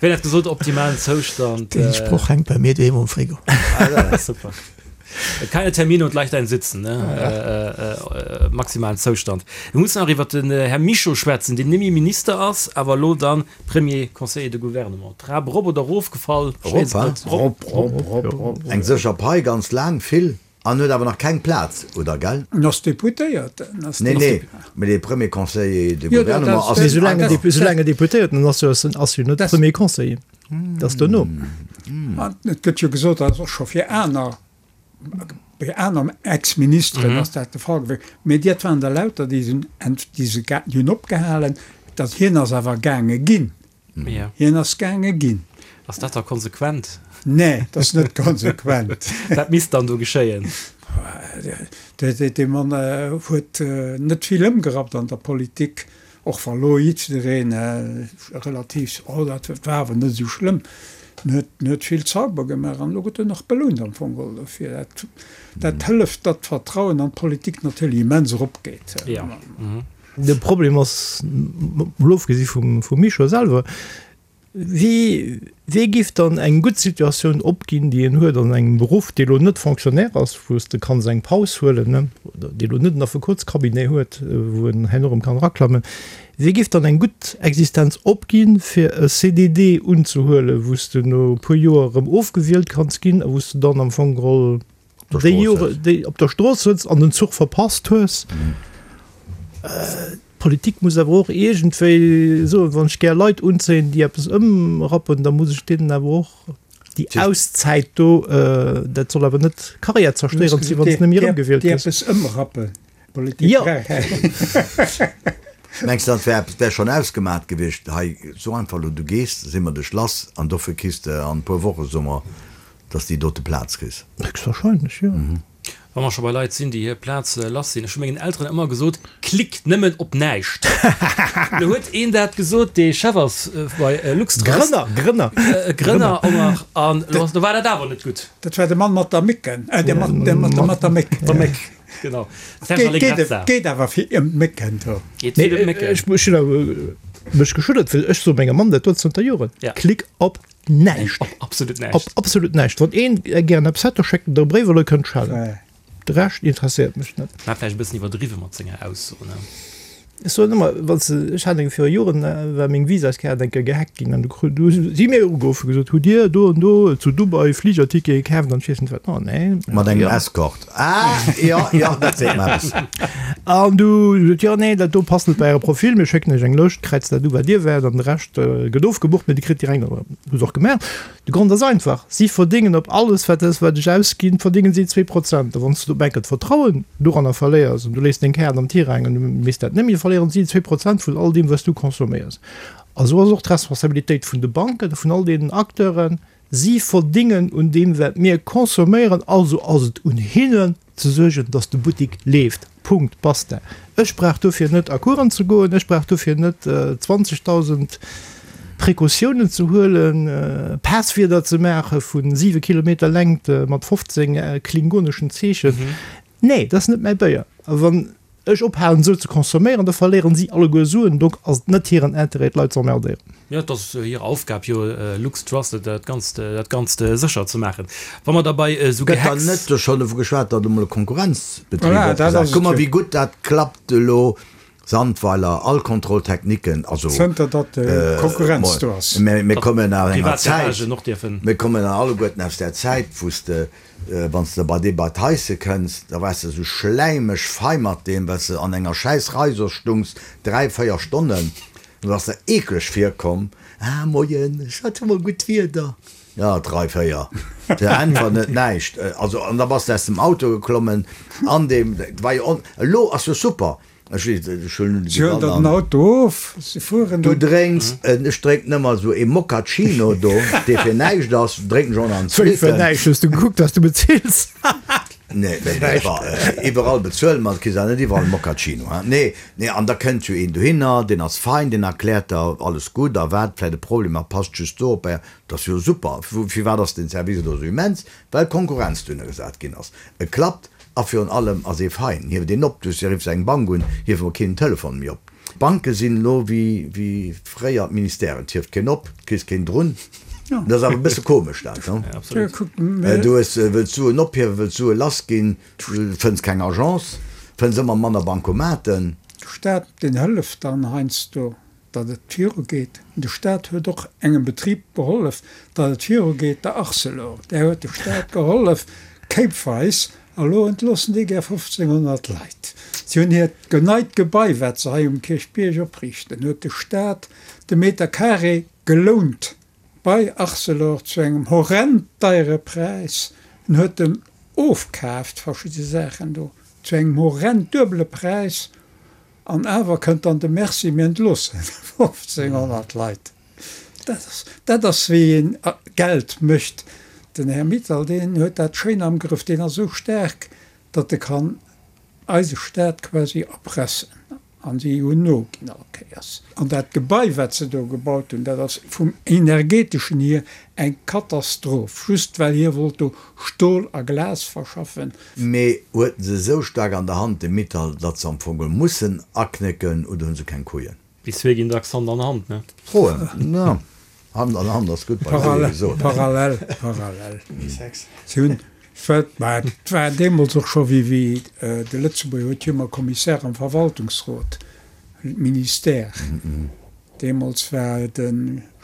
Wien hat gesot, optimalen Zoustand. Deen Sproch hänkt bei mir doheem um Frigo. Super. Keine Termine und leicht ein Sitzen, ne? Maximalen Zoustand. Mir mussen nach iwwer den Här Mischo schwätzen, deen nemmi Minister ass, awer elo dann Premier Conseiller de Gouvernement. Trap erop oder erofgefall? Erop, wa? Rop, rop, rop, rop. Eng sécher Pai, ganz laang, vill, an huet awer nach keng Plaz, oder, gell? En ass Deputéierten. Nee, nee, mee de Premier Conseiller de Jo, dat Gouvernement ass. ass. Mee soulaang en Deputéierten ass, ass jo net Premier Conseiller. Dat ass duerno. An et gëtt jo gesot, dat ass och scho fir aner, bei aner Ex-Ministeren ass dat de Fall gewiescht, mee dat waren der lauter, déi sinn, déi si déi hunn opgehalen, datt hien ass awer gaange ginn. Hien ass gaange ginn. Ass dat da konsequent? Nee, dat ass net konsequent. Wat misst dann do geschéien? Dee Mann huet net vill ëmgerappt an der Politik. Och wa lo jiddwereen relativ, oh dat war awer net esou schlëmm. En huet, en huet vill Zauber gemaach an elo gëtt en och belount am Fong geholl dofir. Dat, dat hëlleft, datt d'Vertrauen an d'Politik natierlech immens eropgeet. Ja. De Problem ass, mol ofgesi vum, vum Mischo selwer, Wie, wee giff dann eng gutt Situatioun opginn, déi een huet an engem Beruff, dee lo net Fonctionnaire ass, wou s de kanns eng Paus huelen, ne, oder dee lo net en Affekotscabinet huet, wou en herno erëm kann eraklammen, wee giff dann eng gutt Existenz opginn, fir e CDD unzehuelen, wou s de no e puer Joer erëm ofgewielt kanns ginn a wou s de dann am Fong geholl déi Jore, déi op der Strooss sëtz an den Zuch verpasst hues? D'Politik muss awer och iergendwéi soen, wann ech gär Leit unzéien, déi eppes ëmrappen, da muss ech deenen awer och déi Auszäit do, dat soll awer net karriärzerstéierend sinn, wann s de net méi erëmgewielt gëss. Déi eppes ëmrappen, d'Politik brauch eng. Mengs de, dat wär eppes, wär schonn ausgemat gewiescht? Hei, so einfach elo, du gees, da si mer dech lass an dofir kriss de an e puer Woche, soe mer, dass de déi dote Plaz kriss. Héchstwahrscheinlech, jo. Wa mer scho bei Leit sinn, déi hir Plaz lass sinn, ech hu mengen Elteren ëmmer gesot, Klick nëmmen op näischt. Lo huet een dat gesot, dee Chef ass bei Luxtrust. Grënner, Grënner. Grënner och nach. An lo ass, lo war dat awer net gutt. Dat war de Mann mat der Mécken, äh, de Mann, de Mann mat der Méck. Der Méck, genau. Serge Allegrezza. Geet awer vill ëm d'Mécken do. Geet vill ëm d'Mécken. Ech hunn awer mech geschüttelt, well ech soe mengem Mann dat do zënter Joren, Klick op Näischt. Op absolut näischt. Op absolut näischt. Wann een gären eppes hätt, da schéckt en der e Bréif oder e kënnt schellen. De Rescht interesséiert mech net. War vläicht e bëssen iwwerdriwwe mat senger Ausso, ne? Ech soen ëmmer, wann s de, ech hat eng viru Joren, war meng Visaskaart eng Kéier gehackt ginn an du kru, du si mir ugeruff, hu gesot, hutt Dir do an do zu Dubai Fligertickete kaaft an ech weess net wat. Oh nee. Mat engem Escort. Ah, jo, jo, dat seet mer eppes. An du sot, jo, nee, dat do passt net bei Äre Profil, mir schécken Iech eng Lëscht, kräizt dat u wat Dir wäert an de Rescht gëtt ofgebucht, mee Dir kritt direkt, hu se och gemaach. De Grond ass einfach, Si verdéngen op alles, wat ech wat ech ausginn, verdéngen si 2%. A wann s du op enker d'Vertrauen doranner verléiers an du léiss deng Kaart am Tirang an du méchs dat net méi, da verléieren si 2% vun all deem, wat s du consomméiers. A sou ass och d'Responsabilitéit vun de Banken a vun all deenen Acteuren, Si verdéngen un deem, wat mir consomméieren, also ass et un hinnen, ze suergen, dass de Buttik leeft. Punkt, basta. Ech brauch dofir net a Coursen ze goen, ech brauch dofir net 20.000 Precautiounen ze huelen, Passwierder ze maache vu 7 Kilometer Längt mat 15 klingoneschen Zeechen. Nee, dat ass net mäi Béier. A wann ech ophalen esou ze consomméieren, da verléieren si alleguer Suen. Donc ass et net hiren Interêt d'Leit ze emmerdéieren. Jo, et ass hir Aufgab jo, LuxTrust, dat Ganzt, dat Ganzt sécher ze maachen. Wa mer da bei esou Gëtt dann Gehacks. net do schonn dovu geschwat, datt emol e Konkurrenzbetrib Voilà, dat opgesat ass et Kuck mol, jo. wéi gutt dat klappt elo, Sandweiler, all Kontrolltechniken, also. Zënter datt Konkurrenz do ass. Mir kommen aus enger Privat Zäit, Garagen och dierfen. mir kommen alleguerten aus där Zäit, wou s de Wann s de bei dee bei d'Heisse kënns, da waars de esou schläimeg fei mat deem, well s de an enger schäiss Rei soss stungs, 3, 4 Stonnen, du bass der eekleg virkomm, Ah, moien, ech hat jo mol gutt Wieder. Ja, 3, 4, se äntweren net, näischt. Also, an da bass de aus dem Auto geklommen, an deem, dat war jo on, elo ass jo super, Ech weess net, ech huelen Si huelen der den Auto of, si fueren Du drénks en, ech drénk nëmmer esou ee Moccacino do, dee fir näischt ass, drénken ech och nach en Wéi fir zweeten. näischt? Hues du gekuckt, wat du bezills? Nee, nee, nee, wa, iwwerall bezuele mer, et kriss awer net iwwerall e Moccacino, hein. Nee, nee, an da kënnt jo een dohinner, deen ass fein, deen erkläert der alles gutt a wat vläicht e Problem ass, passt just do op, dat ass jo super. Firwat ass den Service elo esou immens? Well Konkurrenz dohinner gesat ginn ass. Et klappt A virun allem ass ee fein, hieft een op, du riffs eng Bank un, hieft mol keen den Telefon méi op. D'Banke sinn elo wéi fréier d'Ministèren, et hieft keen op, et kriss keen drun. Dat ass awer e bësse komesch dat, ne? Du hues, wëlls Suen ophiewen, wëlls Sue lass ginn, fënns keng Agence, fënns ëmmer manner Bancomaten. De Staat, deen hëlleft dann heiansdo. datt et virugeet. De Staat huet och engem Betrib gehollef, datt et virugeet, der Arcelor. Där huet de Staat gehollef, kéipweis, a lo entloossen déi gär 1.500 Leit. Si hunn hiert neit Gebai, wat se hei um Kierchbierg opriichten, huet de Staat de Meter carré gelount bei Arcelor zu engem horrend deiere Präis. En huet en ofkaaft, verschidde Saachen do, zu engem horrend duebele Präis. An awer kënnt dann de Merci, mir entloossen 1.500 Leit. Dat ass, dat ass wéi een Geld mécht. Den Här Mittal, deen huet dat schéin am Grëff. Deen ass esou staark, datt e kann eise Staat quasi erpressen. An si hunn noginn all Kéiers. An dat Gebai, wat se do gebaut hunn, dat ass vum Energeteschen hier eng Katastroph, just well hie wollt do Stol a Glas verschaffen. Mee huet en se esou staark an der Hand, de Mittal, datt se am Fong geholl mussen aknécken, oder hunn se keng Couillen? Déi zwee ginn dacks Hand an Hand, ne? Froen, jo, Hand an Hand ass gutt bei Couille gesot. Parallel, parallel. Si hunn, mä et war deemools och scho wéi wéi de Lëtzebuerger huet jo ëmmer Commissaire am Verwaltungsrot, Ministère. Deemools war de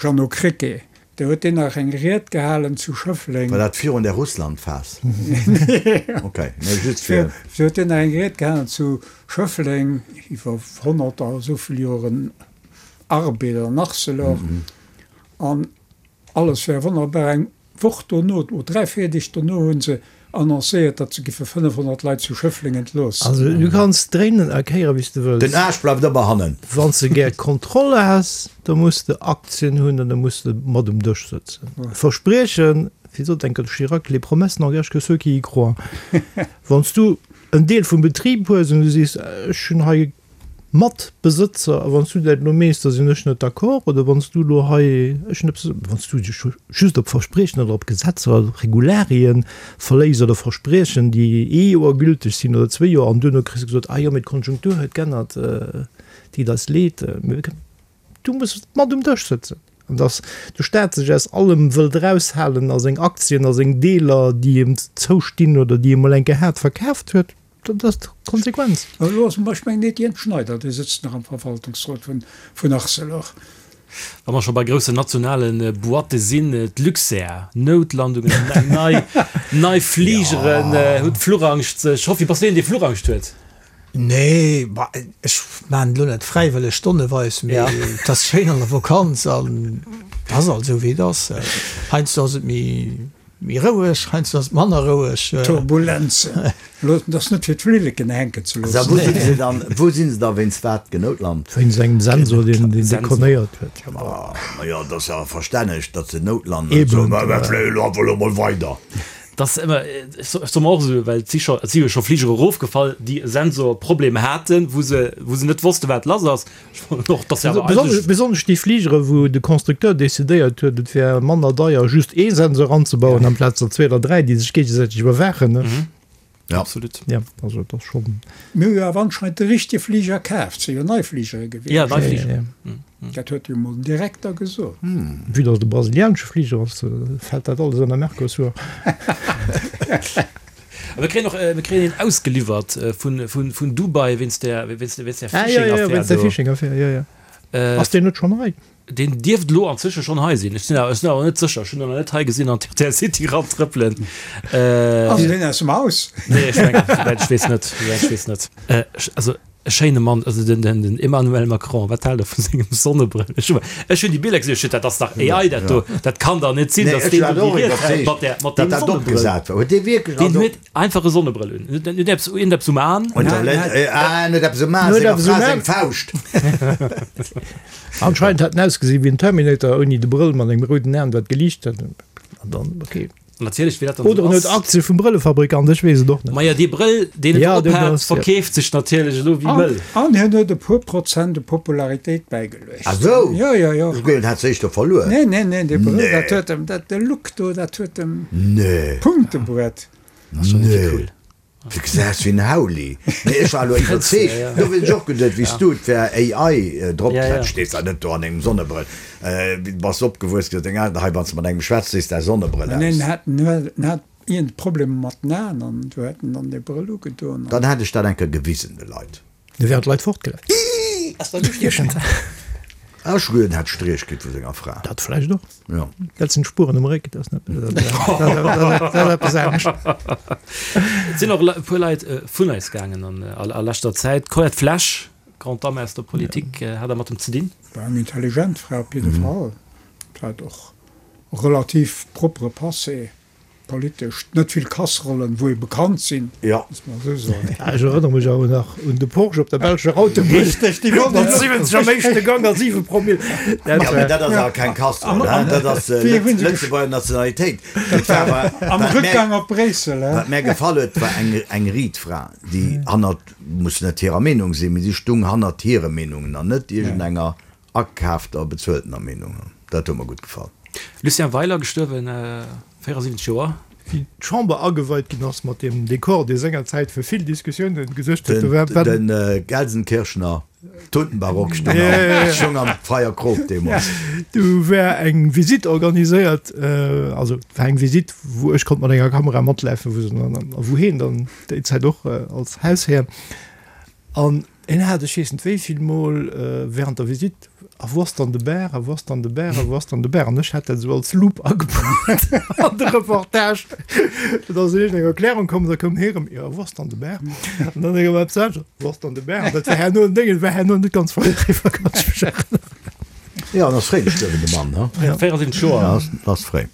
Jeannot Krecké, do huet deen nach eng Ried gehalen zu Schëffleng. War dat virun der Russland-Phas? Ok, nee, just fir. Do huet deen nach eng Ried gehalen zu Schëffleng iwwer 100 a esou vill Joren Arbed an Arcelor an alles wär wonnerbar. Eng Woch dono, oder 3, 4 Deeg dono hu se annoncéiert, datt se giffe 500 Leit zu Schëffleng entloossen. Also du kanns dréinen a kéieren wéi s de wëlls. Den Aarsch bleift ëmmer hannen. Wann s de gär Kontroll has, da muss de Aktien hunn an da muss de mat um Dësch sëtzen. Verspriechen, wéi sot enker de Chirac, les promesses n'engagent que ceux qui y croient. Wann s du en Deel vum Betrib hues an du sees, ech hunn hei Matbesëtzer, a wann s du dat elo mees, da sinn ech net d'accord, oder wann s du elo hei, ech hunn eppes, wann s du dech just op Verspriechen oder op Gesetzer oder op Regularien verléiss oder Verspriechen, déi ee Joer gülteg sinn oder zwéi Joer, an duerno kriss de gesot, ah jo, mee d'Konjunktur huet g'ännert, deet eis leed, du muss mat um Dësch sëtzen. An datt de Staat sech aus allem wëllt eraushalen a seng Aktien a seng Deeler, déi em zoustinn oder déi e mol eng Kéier hat, verkaaft huet, dat ass d'Konsequenz. Elo ass, ech mengen, Etienne Schneider, dee sëtzt nach am Verwaltungsrot vun Arcelor. Wa mer scho bei groussen nationale Boîte sinn, d'Luxair, Noutlandungen, eng nei, nei Fligeren, huet d'Fluchangscht sech, Hoffi, bass du een, dee Fluchangscht huet? Nee, bah, ech maan et lo net fräiwëlleg stonneweis, mee et ass schéin an der Vakanz an et ass alt esou wéi et ass. Heiansdo ass et méi méi roueg, heiansdo ass et manner roueg. Turbulenzen, elo et ass net fir d'Flilleken hänken ze loossen. Wou sinn se dann, wou sinn se da wéinst wat genoutlant? Wéinst engem Sensor deen deen dekonéiert huet. Ma jo, et ass jo verstänneg, datt se noutlanden. Eben. Mä mir fléien elo einfach elo mol weider. Dass ëmmer, ech soe mer och esou, well et si scho, et si jo scho Fligere erofgefall, déi e Sensorproblem haten, wou se, wou se net wosste wat lass ass. Ech fannen och, dass se awer eigentlech. Besonnesch déi Fligere wou de Constructeur decidéiert huet, et wär manner deier just ee Sensor anzebauen amplaz der zwee oder dräi, déi sech géigesäiteg iwwerwaachen. Ja. Absolut. Ja, also et ass schonn. Mir hu jo awer anscheinend de richtege Fliger kaf. Et si jo nei Fligere gewiescht. Ja, nei Fligere. Dat huet jo mol den Direkter gesot. Vue dass et e brasilianesche Fliger ass, fält dat alles ënner Mercosur. A mir kréien och, mir kréien een ausgeliwwert vun, vun, vun Dubai wéinst där, wéinst, wéinst där Ah, ja, ja, ja, wéinst der Phishing-Affär do. Phishing-Affär, ja, ja. Ass deen net schonn hei? Deen dierft elo anzwësche schonn hei sinn. Ech sinn awer, ech sinn awer net sécher. Ech hunn en nach net hei gesinn an d'RTL City erantrëppelen. Ass deen aus dem Haus? Nee, ech mengen, souwäit ech weess net. Souwäit ech weess net. Also e schéine Mann, also den, den, den Emmanuel Macron, wat haalt Der vu sengem Sonnebrëll? Ech hu, ech hunn déi Biller gesinn, ech hunn, dat ass dach AI, dat do. Dat kann dach net sinn, Nee, datt ech deen war do och déi Ried hält iwwerzeegt, mat där, mat datt deem dat Sonnebrëll. opgesat war. Huet dee wierklech, Deen also. huet einfach e Sonnebrëll un. En huet eppes, iergendeppes um An. Huet der net, ah, en huet eppes um An, En huet senger eppes um Fra An. seng Fauscht. Anscheinend hat en ausgesinn wéi en Terminator ouni de Brëll mat engem rouden Aen wat geliicht huet. An dann, okay. Natierlech, wéi dat dann Oder esou en huet ass. Aktie vum Brëllefabrikant, ech weess et och net. Maja, dee Brëll, deen en Ja, op deen hat, ass, ja. verkeeft sech natierlech elo wéi An, wëll. an hien huet e puer Prozent u Popularitéit bäigeluecht. Ah sou? Jo, jo, jo. Ech mengen, en hat se éischter verluer. Nee, nee, nee, dee Brëll, Nee. dat huet em, dat, de Look do, dat huet em Nee. Punkte bruet. Nee. Cool. Du gesäis wéi en Hauli. Nee, ech war elo iwwerzeegt, do hunn ech och geduet, wéi s du, et wär AI drop kletsch, stees da net do an engem Sonnebrëll. Wéi du bass opgewuess, gesot deng Eltern, hei wann s de mat engem schwätz, sees däi Sonnebrëll Nee, aus. en hat, en hat iergend Problemer mat den Aen an du hat en dann dee Brëll ugedoen an. Dann hätt ech dat eng Kéier gewisen de Leit. Du wären d'Leit fortgelaf. Ass dat ustiechend? Ech guer, en hätt Striech kritt vu senger Fra. Dat vläicht och. Jo. Dat sinn d'Spueren um Réck, dat ass net, dat ass eppes anescht. Et sinn och e puer Leit vun eis gaangen an a leschter Zäit. D'Colette Flesch, Grande Dame aus der Politik, hat Der mat em ze dinn? War eng intelligent Fra op jidde Fall. Hat och e relativ propere Passé. Politesch net vill Kasserollen, wou ee bekannt sinn, muss mer esou soen. Ech erënnere mech awer nach un de Porsche op der belscher Autobunn. Richteg, déi wollt Mat 70 am éischte Gang a 7 Promille. Dat Jo, mee dat ass awer keng Kasseroll, hein? Dat ass Lëtzebuerger Nationalitéit. Dat war awer am Rückgang op Bréissel, hein? Wat mär gefall huet, war eng eng Riedfra, déi hannert, muss net hirer Meenung sinn, mee si stung hannert hire Meenungen an net iergendenger Akaafter, bezueltener Meenung. Dat huet mer gutt gefall. Lucien Weiler, gestuerwen, 74 Joer. Wéi d'Chamber ageweit ginn ass mat deem Dekor, dee sengerzäit fir vill Diskussiounen gesuergt huet, do war. De Gelsenkirchener Tuntenbarock stoung am Freier Krop deemools. Do war eng Visitt organiséiert, also et war eng Visitt, wou ech konnt mat enger Kamera matlafen, wou se dann, a wou hien dann déi Zäit och als Hausherr. An hien hat, ech weess net wéi vill Mol während der Visitt, A wou ass dann de Bär? A wou ass dann de Bär? A wou ass dann de Bär? An ech hat dat esou als Loop agebaut an de Reportage. Et ass iergend eng Erklärung komm, da koum hie erëm, Jo, a wou ass dann de Bär? An dann erëm eppes anescht, Wou ass dann de Bär? An dat war herno en Déng, et war herno net ganz voll eriwwer, kann ech mech erënneren. Jo, en ass fréi gestuerwen, de Mann, he? 74 Joer. Ja, ass fréi.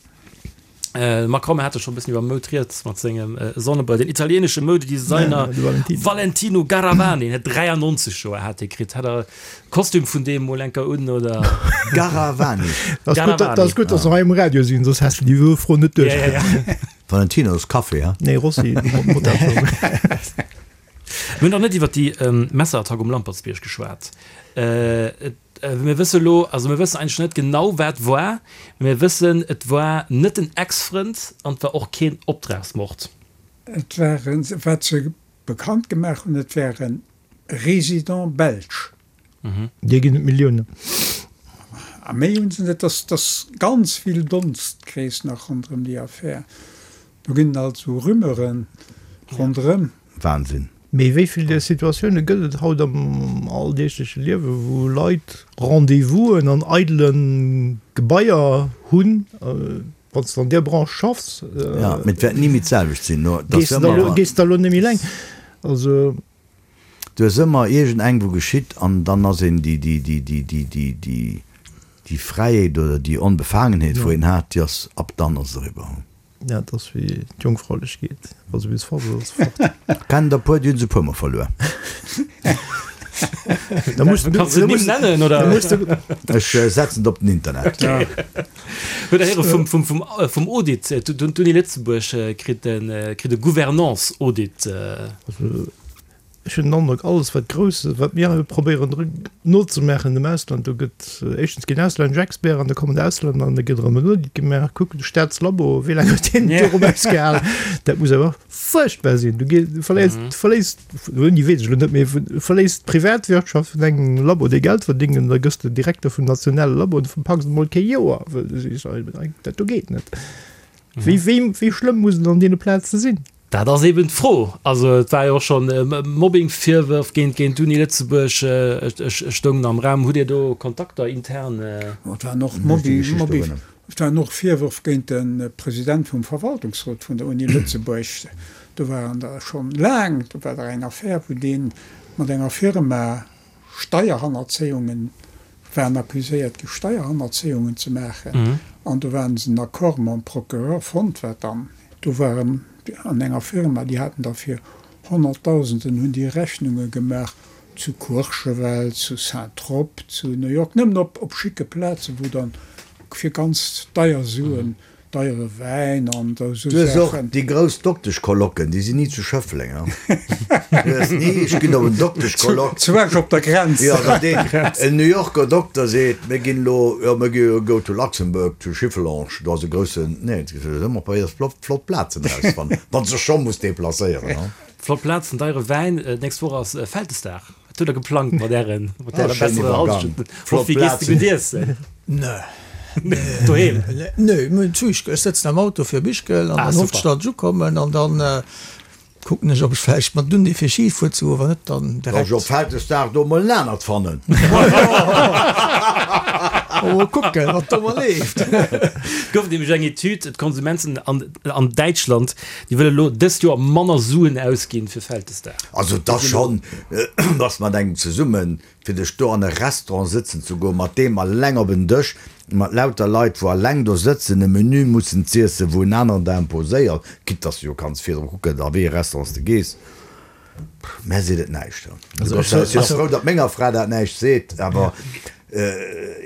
Macron, Mir hate scho e bëssen iwwer Moud rieds mat sengem Sonnebrëll. Den italienesche Moudedesigner Valentino Garavani, hien huet 93 Joer hat hie kritt. Hat Der Kostüm vun deem mol enker un oder? Garavani. Dat ass gutt, datt se hei um Radio sinn, soss häss de déi Fro net duerchkritt. Valentino ass Café, he? Nee, Rossi. Mir hunn nach net iwwer déi Messerattack um Lampertsbierg geschwat. Mir wësse lo, also mir wëssen eigentlech net genau wat war, mee mir wëssen, et war net den Ex-Frënd an et war och keen Optragsmord. Et waren, wat se bekannt gemaach hunn, et ware Résidents belges. Déi ginn et Milliounen. A méi hunn se net. Et ass ganz vill Donstkrees nach ronderëm déi Affär. Do ginn et also Rumeuren ronderëm. Wahnsinn. Mee wéi vill där Situatioune gëtt et haut am alldeegleche Liewe wou Leit Rendez-vousen an eidele Gebaier hunn, wann s de an där Branche schaffs? Jo, mee et wäert ni méi d'selwecht sinn. Gees de da lo net méi eleng? Also. Du hues ëmmer iergend eng wou geschitt an dann ass een déi déi déi déi déi déi déi déi Fräiheet oder déi Onbefaangenheet wou een hat, déi ass ab dann ass et eriwwer. Ja, et ass wéi d'Jongfraulechkeet, wa se bis fort ass, ass se fort. Kennen der puer, déi hunn se e puer mol verluer. Da muss du, Kanns de Nimm nennen oder? Da muss du. Ech setzen et op den Internet. Huet der héiere vum vum vum vum Audit? D'Uni Lëtzebuerg kritt e kritt e Gouvernance-Audit. Also ech hunn den Androck, alles wat grouss, wat mir hei probéieren nozemaachen am Ausland, do gëtt éischtens ginn auslännesch Experten an da kommen d'Auslänner an da gëtt erëm en Audit gemaach. Kuck, de Staatslabo, wéi laang huet deen do erëm ausgehalen? Dat muss awer fuerchtbar sinn. Du gees, du verléiers, du verléiers, ouni weess ech elo net, mee du verléiss d'Privatwirtschaft vun engem Labo, dee Geld verdéngt an da gëss de Direkter vum nationale Labo an du packs emol kee Joer, well du sees, dat do geet net. Wéi, wéi, wéi schlëmm muss et an deene Plaze sinn? Dat ass eben d'Fro. Also et war jo och schonn Mobbing-Virwërf géint géint d'Uni Lëtzebuerg stoungen am Raum. Hutt Dir do Kontakter intern? Et waren och Mobbing, Mobbing, et waren och Virwërf géint de President vum Verwaltungsrot vun der Uni Lëtzebuerg. Do waren der schonn laang, do war der eng Affär, wou dee mat enger Firma Steierhannerzéiungen, waren accuséiert gi Steierhannerzéiungen ze maachen an do waren se en Accord mam Procureur fonnt, wat dann do waren an enger Firma, déi haten da fir Honnertdausenden hunn déi Rechnunge gemaach zu Courchevel, zu Saint-Trope, zu New York, nëmmen op op schicke Plazen, wou dann fir ganz deier Suen Deiere Wäin an esou Du hues och déi grouss Dokteschcolloquen, déi sinn ni zu Schëffleng, hein? Du hues ni, ech ginn op en Dokteschcolloque. Zu Esch op der Grenz. Jo, datt een, en New Yorker Dokter seet, mir ginn elo, jo, mir gi go to Luxembourg, to Schifflange, do ass e groussen, nee, et gëtt ëmmer probéiert, flott, flott Plazen erauszefannen, wann s de scho muss deplacéieren, hein? Flott Plazen, deiere Wäin. D'nächst Woch ass Vältesdag. Wat hutt der geplangt mat ären, mat ärer ah, besserer Hallschent? Flott Plazen. Gutt iessen? Nö. Doheem? Nö, mir hunn zu Ischgl. Ech sëtzen am Auto fir op Ischgl an dann hoffen ech, datt ech ukommen an dann kucken ech, ob ech vläicht mat Dundee fir Ski fuer ze goen. Wann net, dann direkt. Soll ech op Vältesdag do mol en anert fannen? Mol kucken, wat do mol leeft. Gouf nämlech eng Etüd, d'Konsumenten an an Däitschland, déi wëlle lo dëst Joer manner Suen ausginn fir Vältesdag. Also et ass schonn, bass mat engem zesummen, fir dech do an e Restaurant sëtzen ze goen, mat deem alleng op en Dësch, mat lauter Leit, wou alleng do sëtzen, e Menü mussen z'iessen, wou en aneren der imposéiert, quitte dass du jo kanns virdru kucken, a wéi e Restaurant s de gees. Mär seet et näischt. Ech si och frou, datt menger Fra dat näischt seet, awer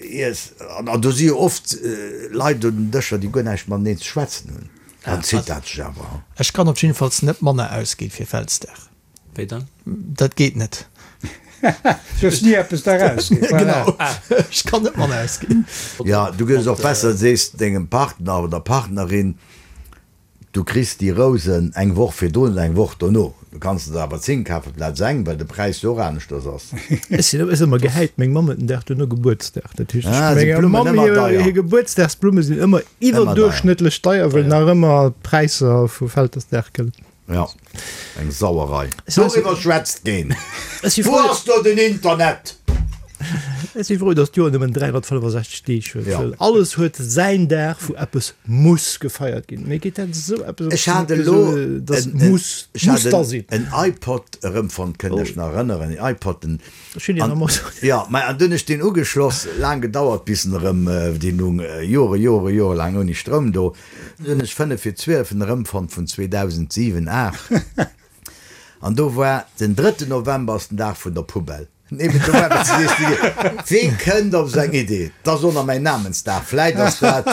iess, an do si jo oft Leit un den Dëscher, déi guer näischt mateneen ze schwätzen hunn, dann zitt dat sech awer. Ech kann op jiddefalls net manner ausginn fir Vältesdag. Wéi dann? Dat geet net. Du hues ni eppes daraus ginn. Genau, ech kann net manner ausginn. Jo, du gëss och besser, sees dengem Partner oder Partnerin, du kriss déi Rousen eng Woch virdrun oder eng Woch dono. Du kanns se der awer 10 kafen plaz eng, well de Präis jo och aneschters ass. Ech sinn ëmmer gehäit, meng Mamm huet den Dag duerno Gebuertsdag. Dat heescht, Ah, sinn menger d'Blummen Mamm ëmmer hir deier? hir Gebuertsdagsblumme sinn ëmmer Ëmmer deier. iwwerduerchschnëttlech deier, well nach ëmmer d'Präisser vu Vältesdag gëllen. Jo, eng Sauerei. Doriwwer schwätzt keen. Wou ass do den Internet? Ech si frou, datt d'Joer nëmmen 365 Deeg huet, well alles huet säin Dag, wou eppes muss gefeiert ginn. Mir geet dat esou eppes op Ech hat elo datt muss, ech muss hat da sinn. en iPod erëmfonnt, kënnt Iech nach erënneren, en iPod, den, Ech hunn deen am Auto. Jo, mä an dunn hunn ech deen ugeschloss, laang gedauert bis en erëm, deen lung Jore, Jore, Jore laang ouni Stroum do. Dunn hunn ech 5 fir 12 en erëmfonnt vun 2007, 8 an do war den drëtten November ass den Dag vun der Poubelle. Eben do war eppes, du sees dir, wee kënnt op esou eng Idee? 't ass och nach mäin Namensdag, vläit ass dat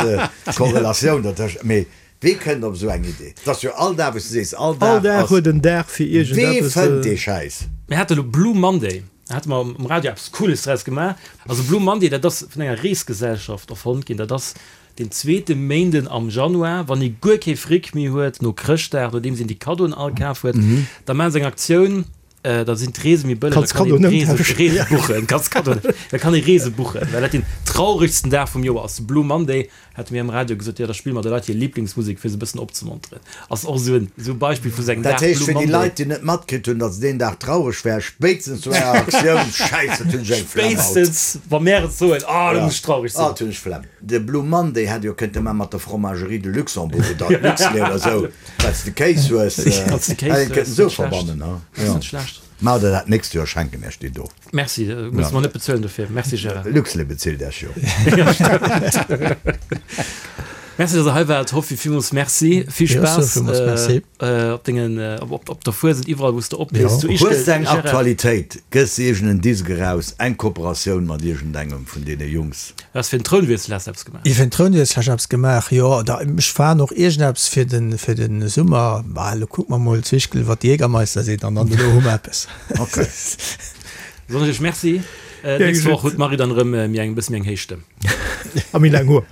d'Korrelatioun dertëscht, mee wee kënnt op esou eng Idee? 't ass jo all Dag, wou s du sees, all All Dag Dag ass, huet en Dag fir wee iergendeppes. fënnt dee Schäiss? Mir hate lo Blue Monday, da hate mer um Radio eppes Cooles draus gemaach. Also Blue Monday, dat ass vun enger Reesgesellschaft erfonnt ginn, dat ass Den zweete Méinden am Januar, wann ee guer kee Fric méi huet, no Chrëschtdag, nodeems een déi Kaddoen all kaf huet, da maache se eng Aktioun, da sinn d'Reese méi bëlleg, da kann een Reese, Reese buchen, kanns Kaddoen, da kann ee Reese buchen, well dat deen trauregsten Dag vum Joer ass. De Blue Monday, hate mir am Radio gesot, jo da spille mer de Leit hir Liblingsmusek, fir se e bëssen opzemonteren. Ass och esou en esou Beispill vu sou engem Dat Dag, heescht, Blue fir déi Monday. Leit, déi net matkritt hunn, datt deen Dag traureg war, spéitstens no enger Aktioun, Schäiss, dat hunn ech eng Flemm haut. Spéitstens wa mär et soen, ah, da muss ech traureg sinn. Ah, dat hunn ech Flemm. De Blue Monday hätt jo kënnte man mat der Fromagerie de Luxembourg oder Luxlait oder esou, well s de Kéis hues, Wanns de Kéis hätt een hues, kënnten esou net schlecht. verbannen, ha? Ass Jo. net schlecht. Maacht der dat d'nächst Joer, schenken Iech déi do. Merci, musse mer net bezuelen dofir. Merci Gérard. Luxlait bezilt Iech jo. Merci, dass der hei waart. Hoffi, villmools Merci. Vill Jo, Spaass villmools Merci. op dengen, op, op der Fuesent, iwwerall wou s de oplees. Jo. Zu Ischgl, Hues de eng Gérard. Aktualitéit? Gëss iergend en Disk eraus, eng Kooperatioun mat iergendengem vun deene Jungs? Du has fir den Trounwiessel has de eppes gemaach. Fir den Trounwiessel hat ech eppes gemaach, jo. Da, ech fahren och iergendeppes fir den, fir den Summer. Bah, elo kucke mer mol zu Ischgl, wat de Jägermeister seet, an dann dono hu mer eppes. Ok. Soen ech iech Merci. D'nächst Woch huet d'Marie dann erëm méi eng, e bësse méi eng héich Stëmm. A méi laang Hoer.